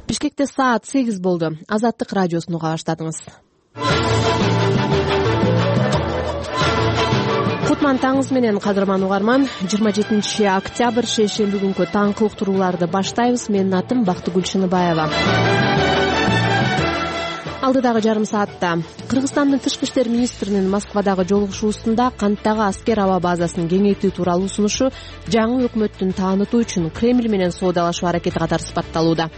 Бишкекте саат 8 болду. Азаттык радиосун уга баштадыңыз. Кутман таңыңыз менен, кадырман угарман. 27 октябрь шейшемби күнкү таңкы уктурууларды баштайбыз. Менин атым Бактыгүл Шыныбаева. Алдыдагы жарым саатта Кыргызстандын тышкы иштер министринин Москвадагы жолугушуусунда канттагы аскер аба базасын кеңейтүү тууралуу сунушу жаңы өкмөттүн таанытуу үчүн Кремль менен соодалашуу аракети катары сыпатталууда.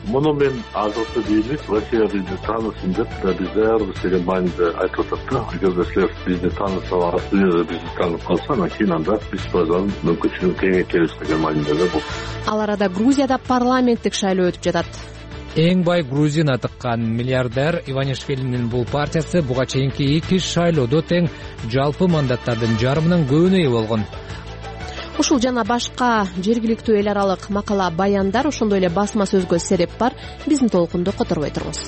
Муну мен азыркы бийлик Россия бизди таанысын деп биз даярбыз деген мааниде айтып атат да. Эгерде силер бизди таанысы Россия бизди таанып калса, анан кийин анда биз базанын мүмкүнчүлүгүн кеңейтебиз деген мааниде бул. Ал арада Грузияда парламенттик шайлоо өтүп жатат. Эң бай грузин атыккан миллиардер Иванишвилинин бул партиясы буга чейинки 2 шайлоодо тең жалпы мандаттардын жарымынан көбүнө ээ болгон. Ушул жана башка жергиликтүү эл аралык макала баяндар, ошондой эле басма сөзгө сереп бар. Биздин толкунду которбой туруңуз.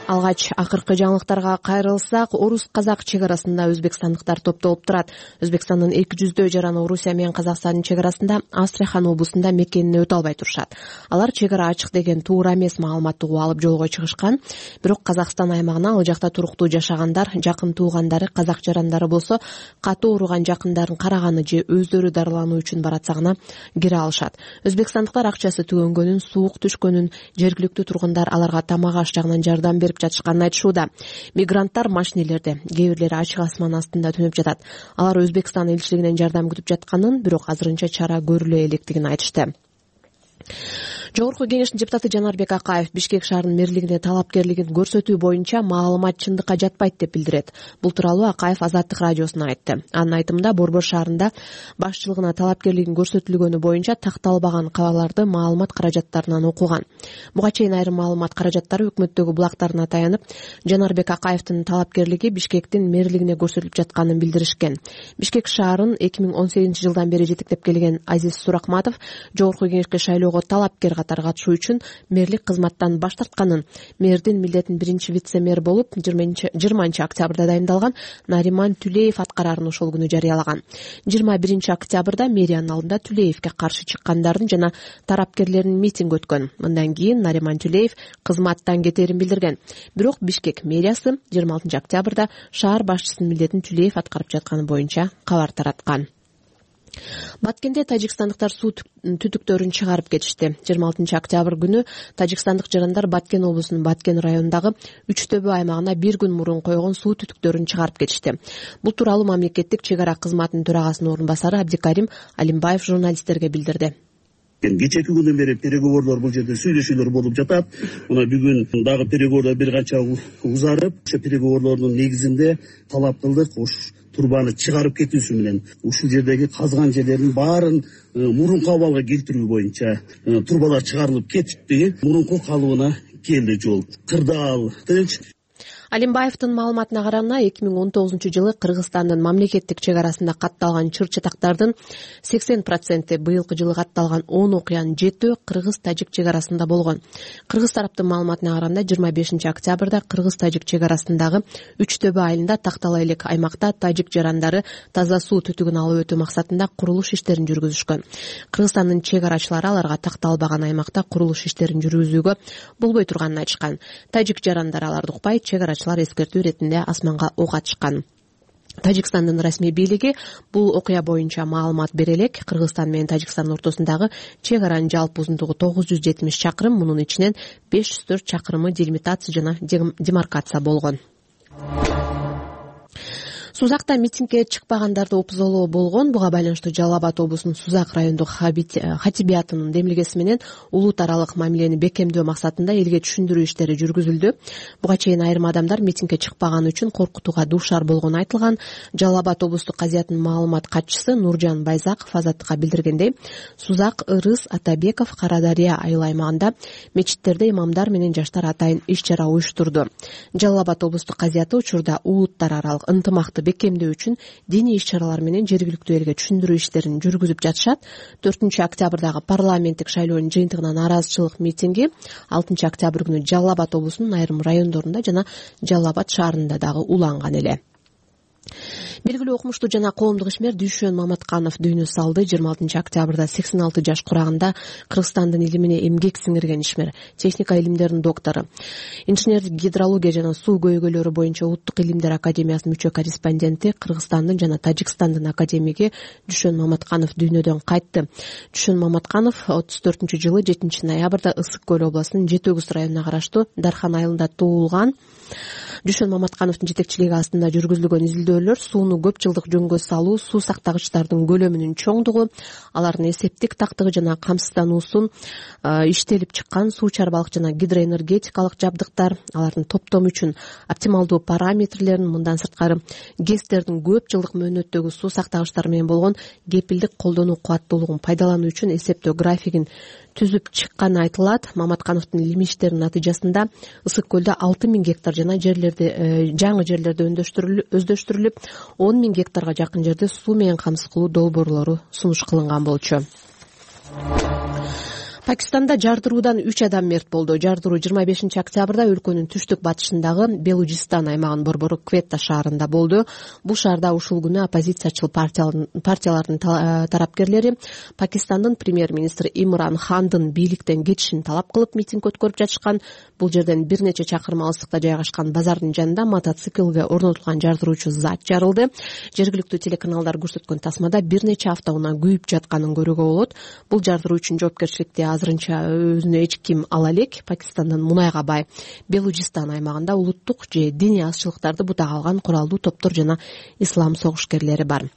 Алгач акыркы жаңылыктарга кайрылсак, орус-казак чек арасында өзбекстандыктар топтолуп турат. Өзбекстандын 200 жаран Орусия менен Казакстандын чек арасында Астрахан облусунда мекенине өтө албай турушат. Алар чек ара ачык деген туура эмес маалыматты угуп алып жолго чыгышкан. Бирок Казакстан аймагына ал жакта туруктуу жашагандар, жакын туугандары, казак жарандары болсо катуу ооруган жакындарын караганы же өздөрү дарылануу үчүн баратса гана кире алышат. Өзбекстандыктар акчасы түгөнгөнүн, суук түшкөнүн, жергиликтүү тургундар аларга тамак аш жагынан жардам берип жатышканын айтышууда. Мигранттар машинелерде, кээ бирлери ачык асман астында түнөп жатат. Алар Өзбекстан элчилигинен жардам күтүп жатканын, бирок азырынча чара көрүлө электигин айтышты. Жогорку кеңештин депутаты Жанарбек Акаев Бишкек шаарынын мэрлигине талапкерлигин көрсөтүү боюнча маалымат чындыкка жатпайт деп билдирет. Бул тууралуу Акаев Азаттык радиосуна айтты. Анын айтымында Борбор шаарында башчылыгына талапкерлигин көрсөтүлгөнү боюнча такталбаган кабарларды маалымат каражаттарынан окуган. Буга чейин айрым маалымат каражаттары өкмөттөгү булактарына таянып, Жанарбек Акаевдин талапкерлиги Бишкектин мэрлигине көрсөтүлүп жатканын билдиришкен. Бишкек шаарын 2018-жылдан бери жетектеп келген Азиз Суракматов жогорку кеңешке шайлоого талапкер катары катышуу үчүн мэрлик кызматтан баш тартканын, мэрдин милдетин биринчи вице-мэр болуп 20 октябрда дайындалган Нариман Түлеев аткарарын ошол күнү жарыялаган. 21 октябрда мэриянын алдында Түлеевке каршы чыккандардын жана тарапкерлеринин митинг өткөн. Мындан кийин Нариман Түлеев кызматтан кетерин билдирген. Бирок Бишкек мэриясы 26 октябрда шаар башчысынын милдетин Түлеев аткарып жатканы боюнча кабар тараткан. Баткенде тажикстандыктар суу түтүктөрүн чыгарып кетишти. 26 октябрь күнү тажикстандык жарандар Баткен облусунун Баткен районундагы Үчтөбө аймагына бир күн мурун койгон суу түтүктөрүн чыгарып кетишти. Бул тууралуу мамлекеттик чек ара кызматынын төрагасынын орун басары Абдикарим Алимбаев журналисттерге билдирди. Кечээки күндөн бери переговордор бул жерде сүйлөшүүлөр болуп жатат. Мына бүгүн дагы переговордор бир канча узарып, ошо переговордордун негизинде талап кылдык турбаны чыгарып кетүүсү менен ушул жердеги казган жерлердин баарын мурунку абалга келтирүү боюнча турбалар чыгарылып кетипти. Мурунку калыбына келди жол. Кырдаал, тынч. Алимбаевдин маалыматына караганда 2019-жылы Кыргызстандын мамлекеттик чек арасында катталган чыр-чатактардын 80% быйылкы жылы катталган 10 окуянын 7 кыргыз-тажик чек арасында болгон. Кыргыз тараптын маалыматына караганда 25 октябрда кыргыз-тажик чек арасындагы Үчтөбө айылында тактала элек аймакта тажик жарандары таза суу түтүгүн алып өтүү максатында курулуш иштерин жүргүзүшкөн. Кыргызстандын чек арачылары аларга такталбаган аймакта курулуш иштерин жүргүзүүгө болбой турганын айтышкан. Тажик жарандары аларды укпай, чек арачылар эскертүү иретинде асманга ок атышкан. Тажикстандын расмий бийлиги бул окуя боюнча маалымат бере элек. Кыргызстан менен Тажикстандын ортосундагы чек аранын жалпы узундугу 970 чакырым, мунун ичинен 504 чакырымы делимитация жана демаркация болгон. Сузакта митингге чыкпагандарды опузолоо болгон. Буга байланыштуу Жалал Абад облусунун Сузак райондук хатибиятынын демилгеси менен улут аралык мамилени бекемдөө максатында элге түшүндүрүү иштери жүргүзүлдү. Буга чейин айрым адамдар митингге чыкпаганы үчүн коркутууга дуушар болгону айтылган. Жалал Абад облустук казиятынын маалымат катчысы Нуржан Байзаков Азаттыкка билдиргендей, Сузак, Ырыс, Атабеков, Карадария айыл аймагында мечиттерде имамдар менен жаштар атайын иш-чара уюштурду. Жалал Абад облустук казияты учурда улуттар аралык ынтымакты бекемдөө үчүн диний иш-чаралар менен жергиликтүү элге түшүндүрүү иштерин жүргүзүп жатышат. 4 октябрдагы парламенттик шайлоонун жыйынтыгына нааразычылык митинги 6 октябрь күнү Жалал Абад облусунун айрым райондорунда жана Жалал Абад шаарында дагы уланган эле. Белгилүү окумуштуу жана коомдук ишмер Дүйшөн Маматканов дүйнө салды. 26 октябрда 86 жаш курагында Кыргызстандын илимине эмгек сиңирген ишмер, техника илимдеринин доктору, инженердик гидрология жана суу көйгөйлөрү боюнча Улуттук илимдер академиясынын мүчө корреспонденти, Кыргызстандын жана Тажикстандын академиги Дүйшөн Маматканов дүйнөдөн кайтты. Дүйшөн Маматканов 34-жылы 7 ноябрда Ысык Көл областынын Жети Өгүз районуна караштуу Дархан айылында туулган. Дүйшөн Маматкановдун жетекчилиги астында жүргүзүлгөн изилдөөлөр сууну көп жылдык жөнгө салуу, суу сактагычтардын көлөмүнүн чоңдугу, алардын эсептик тактыгы жана камсыздануусун, иштелип чыккан суу чарбалык жана гидроэнергетикалык жабдыктар, алардын топтому үчүн оптималдуу параметрлерин, мындан сырткары ГЭСтердин көп жылдык мөөнөттөгү суу сактагычтар менен болгон кепилдик колдонуу кубаттуулугун пайдалануу үчүн эсептөө графигин түзүп чыкканы айтылат. Маматкановдун илимий иштеринин натыйжасында Ысык көлдө 6000 гектар жана жаңы жерлерде өздөштүрүлүп, 10 000 гектарга жакын жерде суу менен камсыз кылуу долбоорлору сунуш кылынган болчу. Пакистанда жардыруудан 3 адам мерт болду. Жардыруу 25 октябрда өлкөнүн түштүк батышындагы Белужистан аймагынын борбору Кветта шаарында болду. Бул шаарда ушул күнү оппозициячыл партиялардын тарапкерлери Пакистандын премьер-министри Имран Хандын бийликтен кетишин талап кылып митинг өткөрүп жатышкан. Бул жерден бир нече чакырым алыстыкта жайгашкан базардын жанында мотоциклге орнотулган жардыруучу зат жарылды. Жергиликтүү телеканалдар көрсөткөн тасмада бир нече автоунаа күйүп жатканын көрүүгө болот. Бул жардыруу үчүн жоопкерчиликти азырынча өзүнө эч ким ала элек. Пакистандын мунайга бай Белужистан аймагында улуттук же диний азчылыктарды бутага алган куралдуу топтор жана ислам согушкерлери бар.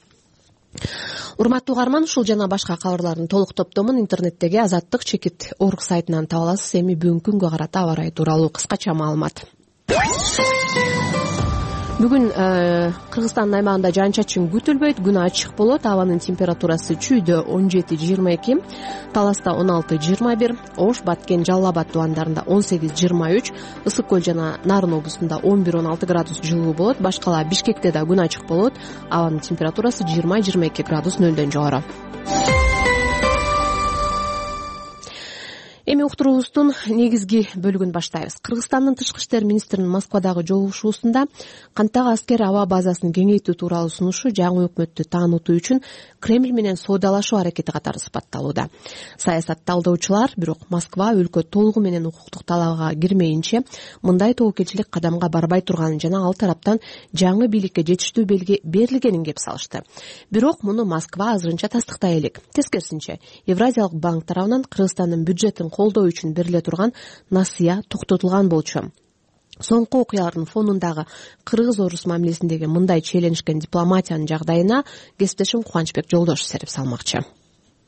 Урматтуу угарман, ушул жана башка кабарлардын толук топтомун интернеттеги Азаттык чекит орг сайтынан таба аласыз. Эми бүгүнкү күнгө карата аба ырайы тууралуу кыскача маалымат. Бүгүн Кыргызстандын аймагында жаан-чачын күтүлбөйт, күн ачык болот. Абанын температурасы Чүйдө 17-22, Таласта 16-21, Ош, Баткен, Жалал Абад тубандарында 18-23, Ысык көл жана Нарын облусунда 11-16 градус жылуу болот. Башкала Бишкекте да күн ачык болот. Абанын температурасы 20-22 градус нөлдөн жогору. Эми уктуруубуздун негизги бөлүгүн баштайбыз. Кыргызстандын тышкы иштер министринин Москвадагы жолугушуусунда кантак аскер аба базасын кеңейтүү тууралуу сунушу жаңы өкмөттү таанытуу үчүн Кремль менен соодалашуу аракети катары сыпатталууда. Саясат талдоочулар бирок Москва өлкө толугу менен укуктук талабга кирмейинче мындай тобокелчилик кадамга барбай турганын жана ал тараптан жаңы бийликке жетиштүү белги берилгенин кеп салышты. Бирок муну Москва азырынча тастыктай элек. Тескерисинче, Евразиялык банк тарабынан Кыргызстандын бюджетин колдоо үчүн бериле турган насыя токтотулган болчу. Соңку окуялардын фонундагы кыргыз-орус мамилесиндеги мындай челенжген дипломатиянын жагдайына кесиптешим Кубанычбек Жолдошев серип салмакчы.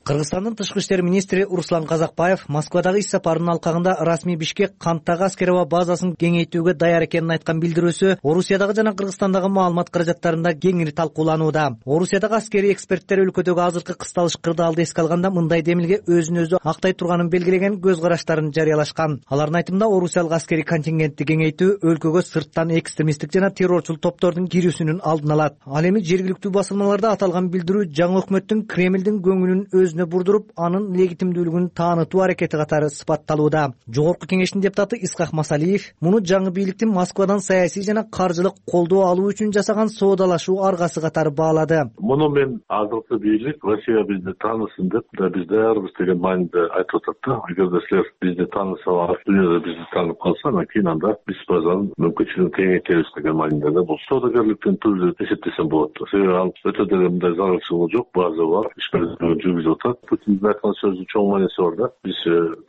Кыргызстандын тышкы иштер министри Руслан Казакбаев Москвадагы иш сапарынын алкагында расмий Бишкек кантак аскер базасын кеңейтүүгө даяр экенин айткан билдирүүсү Орусиядагы жана Кыргызстандагы маалымат каражаттарында кеңири талкууланууда. Орусиядагы аскерий эксперттер өлкөдөгү азыркы кысталыш кырдаалды эске алганда мындай демилге өзүн өзү актай турганын белгилеген көз караштарын жарыялашкан. Алардын айтымында Орусиялык аскерий контингентти кеңейтүү өлкөгө сырттан экстремисттик жана террорчул топтордун кирүүсүнүн алдын алат. Ал эми жергиликтүү басылмаларда аталган билдирүү жаңы өкмөттүн Кремлдин көңүлүн өзүнө бурдуруп, анын легитимдүүлүгүн таанытуу аракети катары сыпатталууда. Жогорку кеңештин депутаты Исхак Масалиев муну жаңы бийликтин Москвадан саясий жана каржылык колдоо алуу үчүн жасаган соодалашуу аргасы катары баалады. Муну мен азыркы бийлик Россия бизди таанысын деп биз даярбыз деген мааниде айтып атат да. Эгерде силер бизди таанысалар, дүйнөдө бизди таанып калса, анан кийин анда биз базанын мүмкүнчүлүгүн кеңейтебиз деген мааниде да. Бул соодагерликтин түрү деп эсептесем болот. Себеби ал өтө деле мындай зарылчылыгы жок, база бар, ишмердүүлүгүн жүргүзүп атат. Путиндин айткан сөзүнүн чоң мааниси бар да. Биз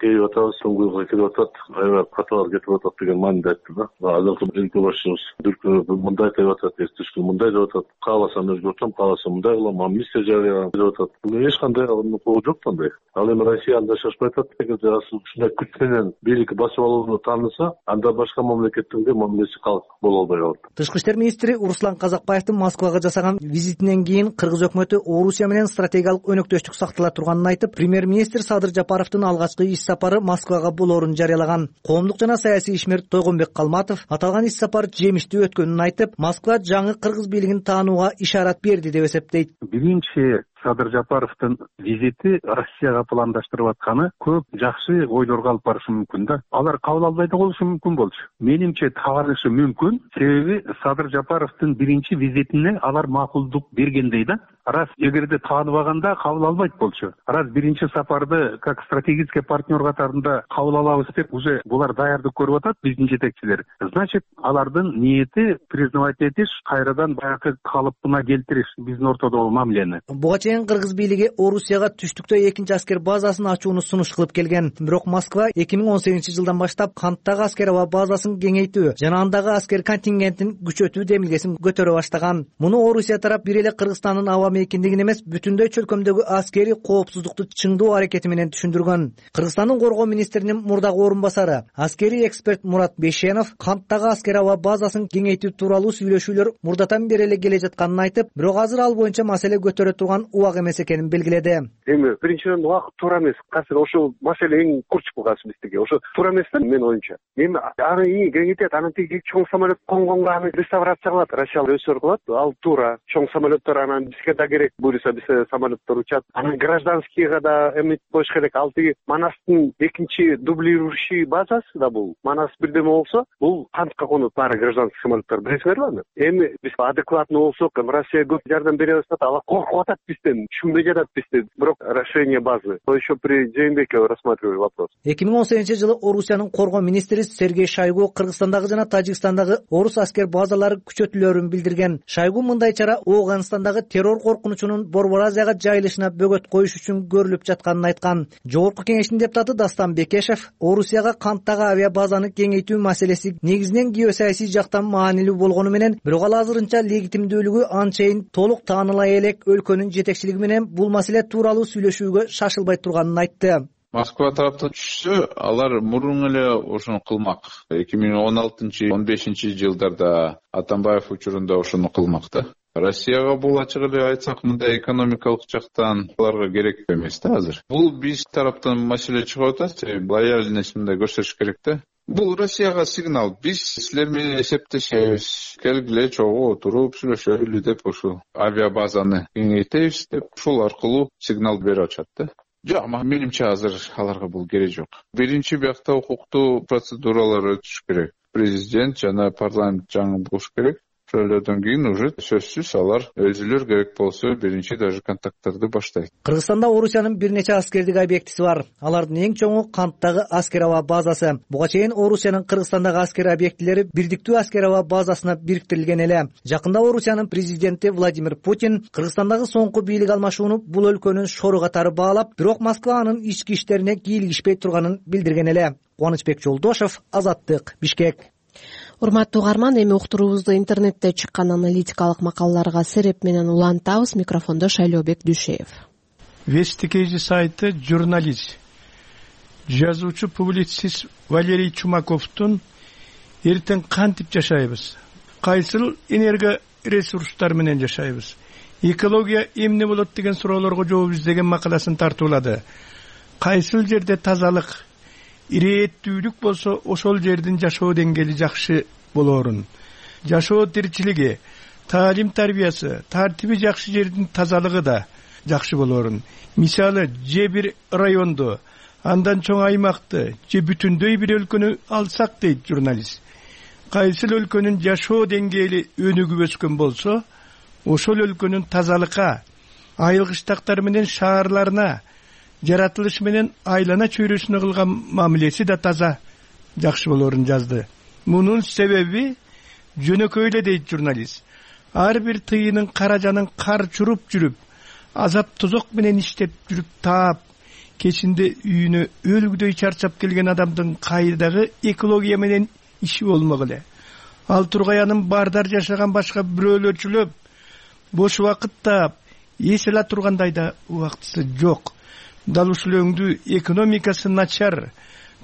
келип атабыз, соңгуга келип атат, аябай каталар кетип атат деген мааниде айтты да. Азыркы өлкө башчыбыз дүркүрөп мындай деп атат, эртешки мындай деп атат, кааласам өзгөртөм, кааласам мындай кылам, амнистия жарыялаган деп атат. Бул эч кандай укугу жок андай. Ал эми Россия анда шашпай атат. Эгерде ушундай күч менен бийликти басып алууну тааныса, анда башка мамлекеттерге мамилеси калк боло албай калат. Тышкы иштер министри Руслан Казакбаевдин Москвага жасаган визитинен кийин Кыргыз өкмөтү Орусия менен стратегиялык өнөктөштүк сактала турганын айтып, премьер-министр Садыр Жапаровдун алгачкы иш сапары Москвага болоорун жарыялаган. Коомдук жана саясий ишмер Тойгонбек Калматов аталган иш сапар жемиштүү өткөнүн айтып, Москва жаңы кыргыз бийлигин таанууга ишарат берди деп эсептейт. Биринчи Садыр Жапаровдун визити Россияга пландаштырып атканы көп жакшы ойлорго алып барышы мүмкүн да. Алар кабыл албай да болушу мүмкүн болчу. Менимче табанышы мүмкүн. Себеби Садыр Жапаровдун биринчи визитине алар макулдук бергендей да. Раз эгерде тааныбаганда кабыл албайт болчу. Раз биринчи сапарды как стратегический партнер катарында кабыл алабыз деп уже булар даярдык көрүп атат биздин жетекчилер. Значит, алардын ниети признавать этиш, кайрадан баягы калыпына келтириш биздин ортодогу мамилени. Буга чейин кыргыз бийлиги Орусияга түштүктө экинчи аскер базасын ачууну сунуш кылып келген. Бирок Москва 2018-жылдан баштап Канттагы аскер аба базасын кеңейтүү жана андагы аскер контингентин күчөтүү демилгесин көтөрө баштаган. Муну Орусия тарап бир эле Кыргызстандын аба мейкиндигин эмес, бүтүндөй чөлкөмдөгү аскери коопсуздукту чыңдоо аракети менен түшүндүргөн. Кыргызстандын коргоо министринин мурдагы орун басары, аскери эксперт Мурат Бейшенов Канттагы аскер аба базасын кеңейтүү тууралуу сүйлөшүүлөр мурдатан бери эле келе жатканын айтып, бирок азыр ал боюнча маселе көтөрө турган убак эмес экенин белгиледи. Эми биринчиден убакыт туура эмес. Кайсы ошол маселе эң курч болгасы бизге. Ошо туура эмес да менин оюмча. Эми аны кеңейтет, анан тиги чоң самолет конгонго аны реставрация кылат, Россия өсөр кылат. Ал туура. Чоң самолеттер анан бизге да керек. Буюрса биз самолеттер учат. Анан гражданскийга да эмит коюш керек. Ал тиги Манастын экинчи дублирующий базасы да бул. Манас бирдеме болсо, бул кантка конот баары гражданский самолеттер билесиңерби? Эми биз адекватный болсок, Россия көп жардам бере баштады. Ала коркуп атат бизден, түшүнбөй жатат бизден. Бирок решение базы. То еще при Жээнбекове рассматривали вопрос. 2018-жылы Орусиянын коргоо министри Сергей Шойгу Кыргызстандагы жана Тажикстандагы орус аскер базалары күчөтүлөрүн билдирген. Шойгу мындай чара Афганистандагы террор коркунучунун Борбор Азияга жайылышына бөгөт коюш үчүн көрүлүп жатканын айткан. Жогорку кеңештин депутаты Дастан Бекешев Орусияга Канттагы авиа базаны кеңейтүү маселеси негизинен геосаясий жактан маанилүү болгону менен, бирок ал азырынча легитимдүүлүгү анчейин толук тааныла элек өлкөнүн жетекчилиги менен бул маселе тууралуу сүйлөшүүгө шашылбай турганын айтты. Москва тараптан түшсө, алар мурун эле ошону кылмак. 2016-15 жылдарда Атамбаев учурунда ошону кылмак да. Россияга бул ачык эле айтсак, мындай экономикалык жактан аларга керек эмес да азыр. Бул биз тараптан маселе чыгып атат, лояльность мындай көрсөтүш керек да. Бул Россияга сигнал. Биз силер менен эсептешебиз. Келгиле чогуу отуруп сүйлөшөлү деп ошо авиабазаны кеңейтебиз деп ушул аркылуу сигнал берип атышат да. Жок, менимче азыр аларга бул керек жок. Биринчи биякта укуктуу процедуралар өтүш керек. Президент жана парламент жаңы болуш керек. Ошолордон кийин уже сөзсүз алар өзүлөр керек болсо биринчи даже контакттарды баштайт. Кыргызстанда Орусиянын бир нече аскердик объектиси бар. Алардын эң чоңу Канттагы аскер аба базасы. Буга чейин Орусиянын Кыргызстандагы аскер объектилери бирдиктүү аскер аба базасына бириктирилген эле. Жакында Орусиянын президенти Владимир Путин Кыргызстандагы соңку бийлик алмашууну бул өлкөнүн шору катары баалап, бирок Москва анын ички иштерине кийлигишпей турганын билдирген эле. Кубанычбек Жолдошев, Азаттык, Бишкек. Урматтуу угарман, эми уктуруубузду интернетте чыккан аналитикалык макалаларга сереп менен улантабыз. Микрофондо Шайлообек Дүйшеев. Вести сайты журналист, жазуучу, публицист Валерий Чумаковдун «Эртең кантип жашайбыз? Кайсыл энерго ресурстар менен жашайбыз? Экология эмне болот?» деген суроолорго жооп издеген макаласын тартуулады. Кайсыл жерде тазалык, ирээттүүлүк болсо, ошол жердин жашоо деңгээли жакшы болорун. Жашоо тиричилиги, таалим тарбиясы, тартиби жакшы жердин тазалыгы да жакшы болорун. Мисалы, же бир районду, андан чоң аймакты, же бүтүндөй бир өлкөнү алсак дейт журналист. Кайсыл өлкөнүн жашоо деңгээли өнүгүп өскөн болсо, ошол өлкөнүн тазалыкка, айылгыштактар менен шаарларына, жаратылыш менен айлана чөйрөсүнө кылган мамилеси да таза, жакшы болорун жазды. Мунун себеби жөнөкөй эле дейт журналист. Ар бир тыйынын каражанын кар чуруп жүрүп, азап тозок менен иштеп жүрүп таап, кечинде үйүнө өлгүдөй чарчап келген адамдын кайдагы экология менен иши болмок эле. Ал Тургаянын бардар жашаган башка бирөөлөрчүлөп, бош убакыт таап, эсела тургандай да убактысы жок. Дал ушул өңдүү экономикасы начар,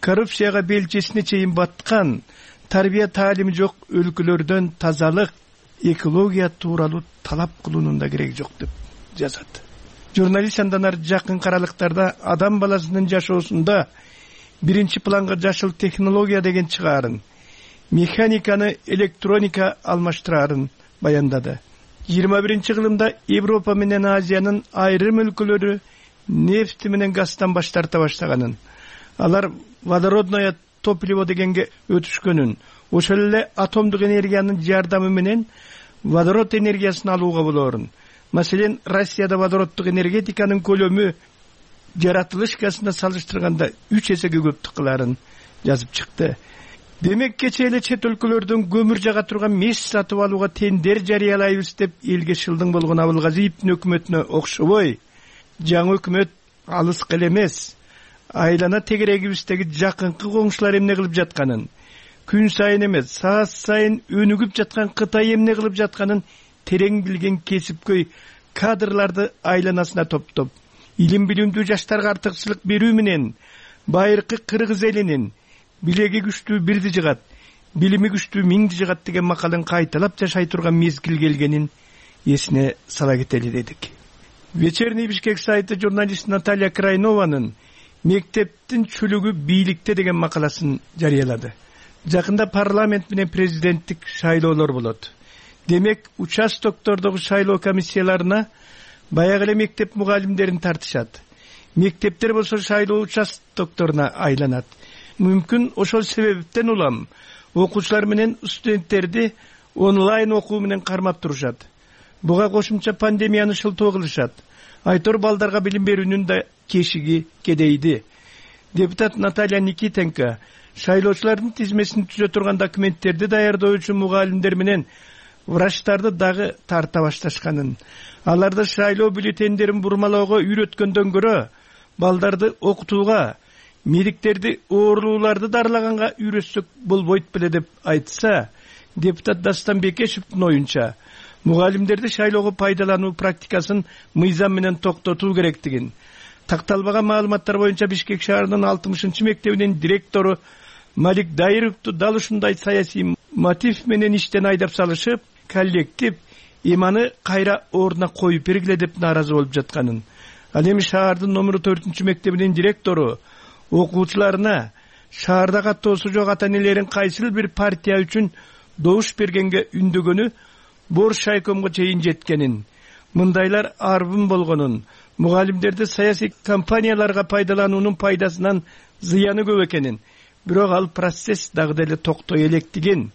коррупцияга белчесине чейин баткан, тарбия таалими жок өлкөлөрдөн тазалык, экология тууралуу талап кылуунун да кереги жок деп жазат. Журналист андан ары жакын каралыктарда адам баласынын жашоосунда биринчи планга жашыл технология деген чыгаарын, механиканы электроника алмаштырарын баяндады. 21-кылымда Европа менен Азиянын айрым өлкөлөрү нефти менен газдан баш тарта баштаганын, алар водородное топливо дегенге өтүшкөнүн, ошол эле атомдук энергиянын жардамы менен водород энергиясын алууга болоорун. Маселен, Россияда водороддук энергетиканын көлөмү жаратылыш газына салыштырганда 3 эсеге көп кыларын жазып чыкты. Демек, кече эле чет өлкөлөрдөн көмүр жага турган меш сатып алууга тендер жарыялайбыз деп элге шылдың болгон Абылгазиевдин өкмөтүнө окшобой, жаңы өкмөт алыска эле эмес, айлана тегерегибиздеги жакынкы коңшулар эмне кылып жатканын, күн сайын эмес, саат сайын өнүгүп жаткан Кытай эмне кылып жатканын терең билген кесипкөй кадрларды айланасына топтоп, илим билимдүү жаштарга артыкчылык берүү менен байыркы кыргыз элинин билеги күчтүү бирди жыгат, билими күчтүү миңди жыгат деген макалын кайталап жашай турган мезгил келгенин эсине сала кетели дедик. Вечерний Бишкек сайты журналист Наталья Крайнованын «Мектептин чүлүгү бийликте» деген макаласын жарыялады. Жакында парламент менен президенттик шайлоолор болот. Демек, участоктордогу шайлоо комиссияларына баягы эле мектеп мугалимдерин тартышат. Мектептер болсо шайлоо участокторуна айланат. Мүмкүн ошол себептен улам окуучулар менен студенттерди онлайн окуу менен кармап турушат. Буга кошумча пандемияны шылтоо кылышат. Айтор балдарга билим берүүнүн да кешиги кедейди. Депутат Наталья Никитенко шайлоочулардын тизмесин түзө турган документтерди даярдоочу мугалимдер менен врачтарды дагы тарта башташканын, аларды шайлоо бюллетендерин бурмалоого үйрөткөндөн көрө балдарды окутууга, медиктерди оорулууларды дарылаганга үйрөтсөк болбойт беле деп айтса, депутат Дастан Бекешевдин оюнча мугалимдерди шайлоого пайдалануу практикасын мыйзам менен токтотуу керектигин, такталбаган маалыматтар боюнча Бишкек шаарынын 60-мектебинин директору Малик Дайыровду дал ушундай саясий мотив менен иштен айдап салышып, коллектив иманы кайра ордуна коюп бергиле деп нааразы болуп жатканын, ал эми шаардын номер 4-мектебинин директору окуучуларына шаарда каттоосу жок ата-энелерин кайсыл бир партия үчүн добуш бергенге үндөгөнү Борш шайкомго чейин жеткенин, мындайлар арбын болгонун, мугалимдерди саясий компанияларга пайдалануунун пайдасынан зыяны көп экенин, бирок ал процесс дагы деле токтой электигин,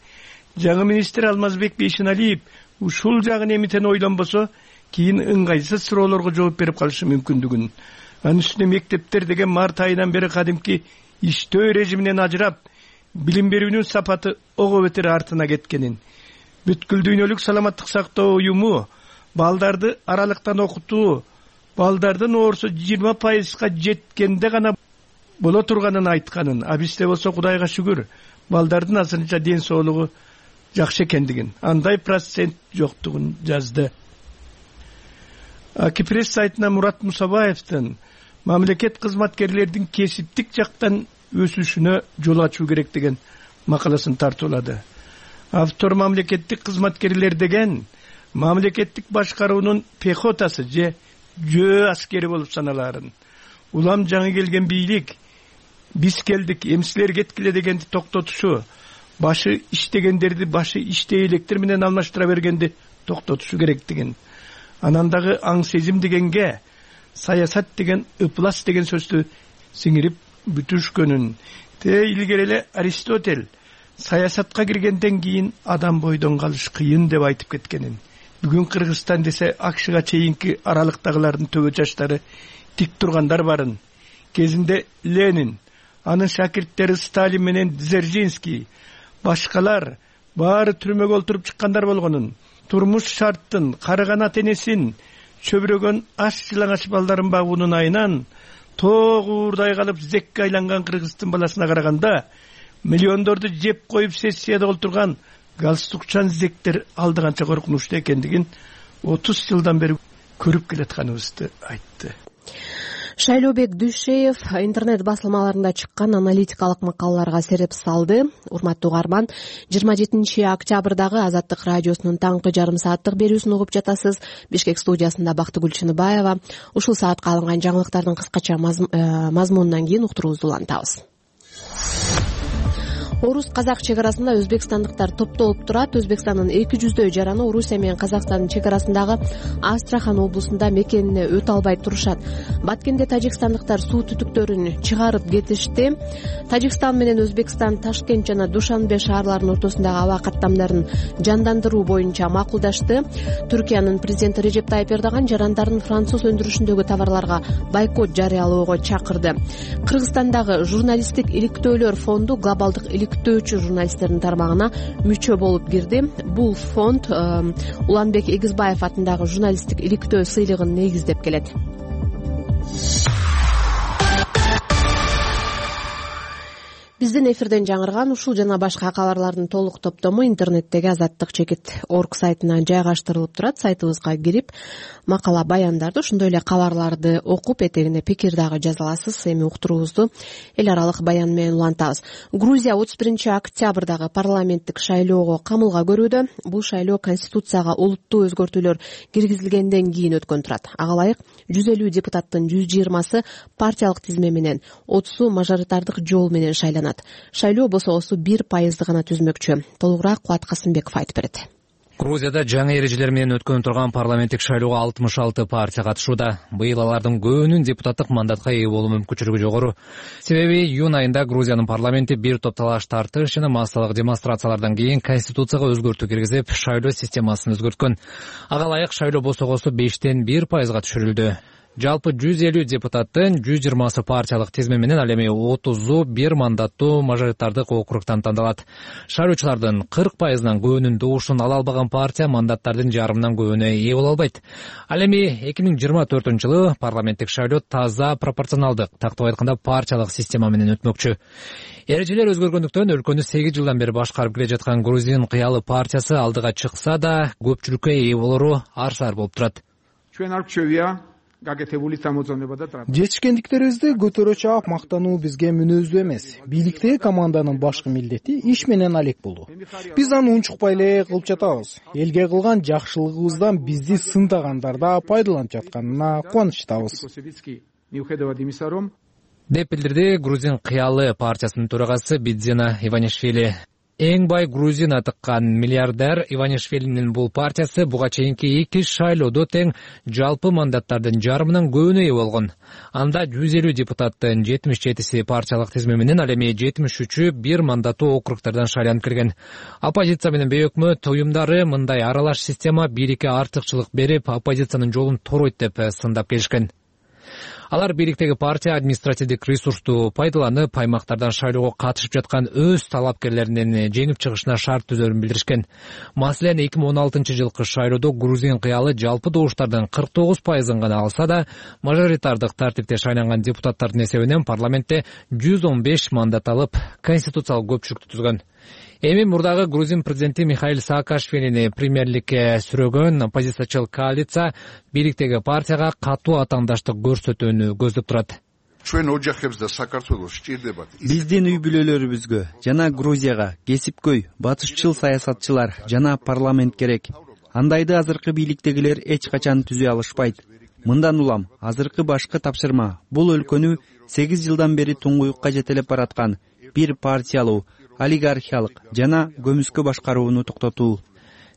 жаңы министр Алмазбек Бейшеналиев ушул жагын эмитен ойлонбосо, кийин ыңгайсыз суроолорго жооп берип калышы мүмкүндүгүн. Анын үстүнө мектептер деген март айынан бери кадимки иштөө режиминен ажырап, билим берүүнүн сапаты ого бетер артына кеткенин, бүткүл дүйнөлүк саламаттык сактоо уюму балдарды аралыктан окутуу, балдардын оорусу 20%га жеткенде гана боло турганын айтканын, а бизде болсо Кудайга шүгүр, балдардын азырынча ден соолугу жакшы экендигин, андай процент жоктугун жазды. Акипресс сайтына Мурат Мусабаевдин мамлекет кызматкерлердин кесиптик жактан өсүшүнө жол ачуу керек деген макаласын тартуулады. Автор мамлекеттик кызматкерлер деген мамлекеттик башкаруунун пехотасы же жөө аскери болуп саналаарын. Улам жаңы келген бийлик биз келдик, эмсилер кеткиле дегенди токтотушу, башы иштегендерди башы иштей электер менен алмаштыра бергенди токтотушу керектигин. Анан дагы аң сезим дегенге саясат деген ыплас деген сөздү сиңирип бүтүшкөнүн. Илгери эле Аристотель саясатка киргенден кийин адам бойдон калыш кыйын деп айтып кеткенин. Бүгүн Кыргызстан десе акшыга чейинки аралыктагылардын төбө чачтары тик тургандар барын. Кезинде Ленин, анын шакирттери Сталин менен Дзержинский, башкалар баары түрмөгө олтуруп чыккандар болгонун, турмуш шарттын, карыган ата-энесин, чөбүрөгөн аш жылаңач балдарын багуунун айынан тоогуурдай калып зекке айланган кыргыздын баласына караганда миллиондорду жеп коюп сессияда олтурган галстукчан зектер алдыганча коркунучтуу экендигин 30 жылдан бери көрүп келатканыбызды айтты. Шайлообек Дүйшеев интернет басылмаларында чыккан аналитикалык макалаларга сереп салды. Урматтуу угарман, 27 октябрдагы Азаттык радиосунун таңкы жарым сааттык берүүсүн угуп жатасыз. Бишкек студиясында Бактыгүл Чыныбаева. Ушул саатка алынган жаңылыктардын кыскача мазмунунан кийин уктуруубузду улантабыз. Орус казак чекарасында өзбекстандыктар топтолуп турат. Өзбекстандын 200 жараны Орусия менен Казакстандын чек арасындагы Астрахан облусунда мекенине өтө албай турушат. Баткенде тажикстандыктар суу түтүктөрүн чыгарып кетишти. Тажикстан менен Өзбекстан Ташкент жана Душанбе шаарларынын ортосундагы аба каттамдарын жандандыруу боюнча макулдашты. Түркиянын президенти Режеп Тайип Эрдоган жарандардын француз өндүрүшүндөгү товарларга бойкот жарыялоого чакырды. Кыргызстандагы журналисттик иликтөөлөр фонду глобалдык иликтөөчү журналисттердин тармагына мүчө болуп кирди. Бул фонд Уланбек Эгизбаев атындагы журналисттик иликтөө сыйлыгын негиздеп келет. Биздин эфирден жаңырган ушул жана башка кабарлардын толук топтому интернеттеги azattik.org сайтына жайгаштырылып турат. Сайтыбызга кирип, макала баяндарды, ошондой эле кабарларды окуп, этегине пикир дагы жаза аласыз. Эми уктуруубузду эл аралык баян менен улантабыз. Грузия 31-октябрдагы парламенттик шайлоого камылга көрүүдө. Бул шайлоо конституцияга олуттуу өзгөртүүлөр киргизилгенден кийин өткөн турат. Ага ылайык 150 депутаттын 120сы партиялык тизме менен, 30-у мажоритардык жол менен шайланат. Шайлоо босогосу 1% гана түзмөкчү. Толугураак Кубат Касымбеков айтып берет. Грузияда жаңы эрежелер менен өткөн турган парламенттик шайлоого 66 партия катышууда. Быйыл алардын көбүнүн депутаттык мандатка ээ болуу мүмкүнчүлүгү жогору. Себеби июнь айында Грузиянын парламенти бир топ талаш тартыш жана массалык демонстрациялардан кийин конституцияга өзгөртүү киргизип, шайлоо системасын өзгөрткөн. Ага ылайык шайлоо босогосу 5-тен 1%га түшүрүлдү. Жалпы 150 депутаттын 120сы партиялык тизме менен, ал эми 30-у бир мандаттуу мажоритардык округтан тандалат. Шайлоочулардын 40%нан көбүнүн добушун ала албаган партия мандаттардын жарымынан көбүнө ээ боло албайт. Ал эми 2024-жылы парламенттик шайлоо таза пропорционалдык, тактап айтканда партиялык система менен өтмөкчү. Эрежелер өзгөргөндүктөн өлкөнү 8 жылдан бери башкарып келе жаткан Грузин кыялы партиясы алдыга чыкса да, көпчүлүккө ээ болору арсаар болуп турат. Жетишкендиктерибизди көтөрө чаап мактануу бизге мүнөздүү эмес. Бийликтеги команданын башкы милдети иш менен алек болуу. Биз аны унчукпай эле кылып жатабыз. Элге кылган жакшылыгыбыздан бизди сындагандар да пайдаланып жатканына кубанычтабыз, деп билдирди Грузин кыялы партиясынын төрагасы Бидзена Иванишвили. Эң бай грузин атыккан миллиардер Иванишвилинин бул партиясы буга чейинки 2 шайлоодо тең жалпы мандаттардын жарымынан көбүнө ээ болгон. Анда 150 депутаттын 77-си партиялык тизме менен, ал эми 73-ү бир мандаттуу округдардан шайланып келген. Оппозиция менен өкмөт уюмдары мындай аралаш система бийликке артыкчылык берип, оппозициянын жолун торойт деп сындап келишкен. Алар бийликтеги партия административдик ресурсту пайдаланып, аймактардан шайлоого катышып жаткан өз талапкерлеринин жеңип чыгышына шарт түзөрүн билдиришкен. Маселен, 2016-жылкы шайлоодо Грузин кыялы жалпы добуштардын 49%-ын гана алса да, мажоритардык тартипте шайланган депутаттардын эсебинен парламентте 115 мандат алып, конституциялык көпчүлүктү түзгөн. Эми мурдагы Грузин президенти Михаил Саакашвилини премьерликке сүрөгөн оппозициячыл коалиция бийликтеги партияга катуу атаандаштык көрсөтүүнү көздөп турат. Биздин үй бүлөлөрүбүзгө жана Грузияга кесипкөй, батышчыл саясатчылар жана парламент керек. Андайды азыркы бийликтегилер эч качан түзө алышпайт. Мындан улам азыркы башкы тапшырма бул өлкөнү 8 жылдан бери туңгуюкка жетелеп бараткан бир партиялуу, олигархиялык жана көмүскө башкарууну токтотуу,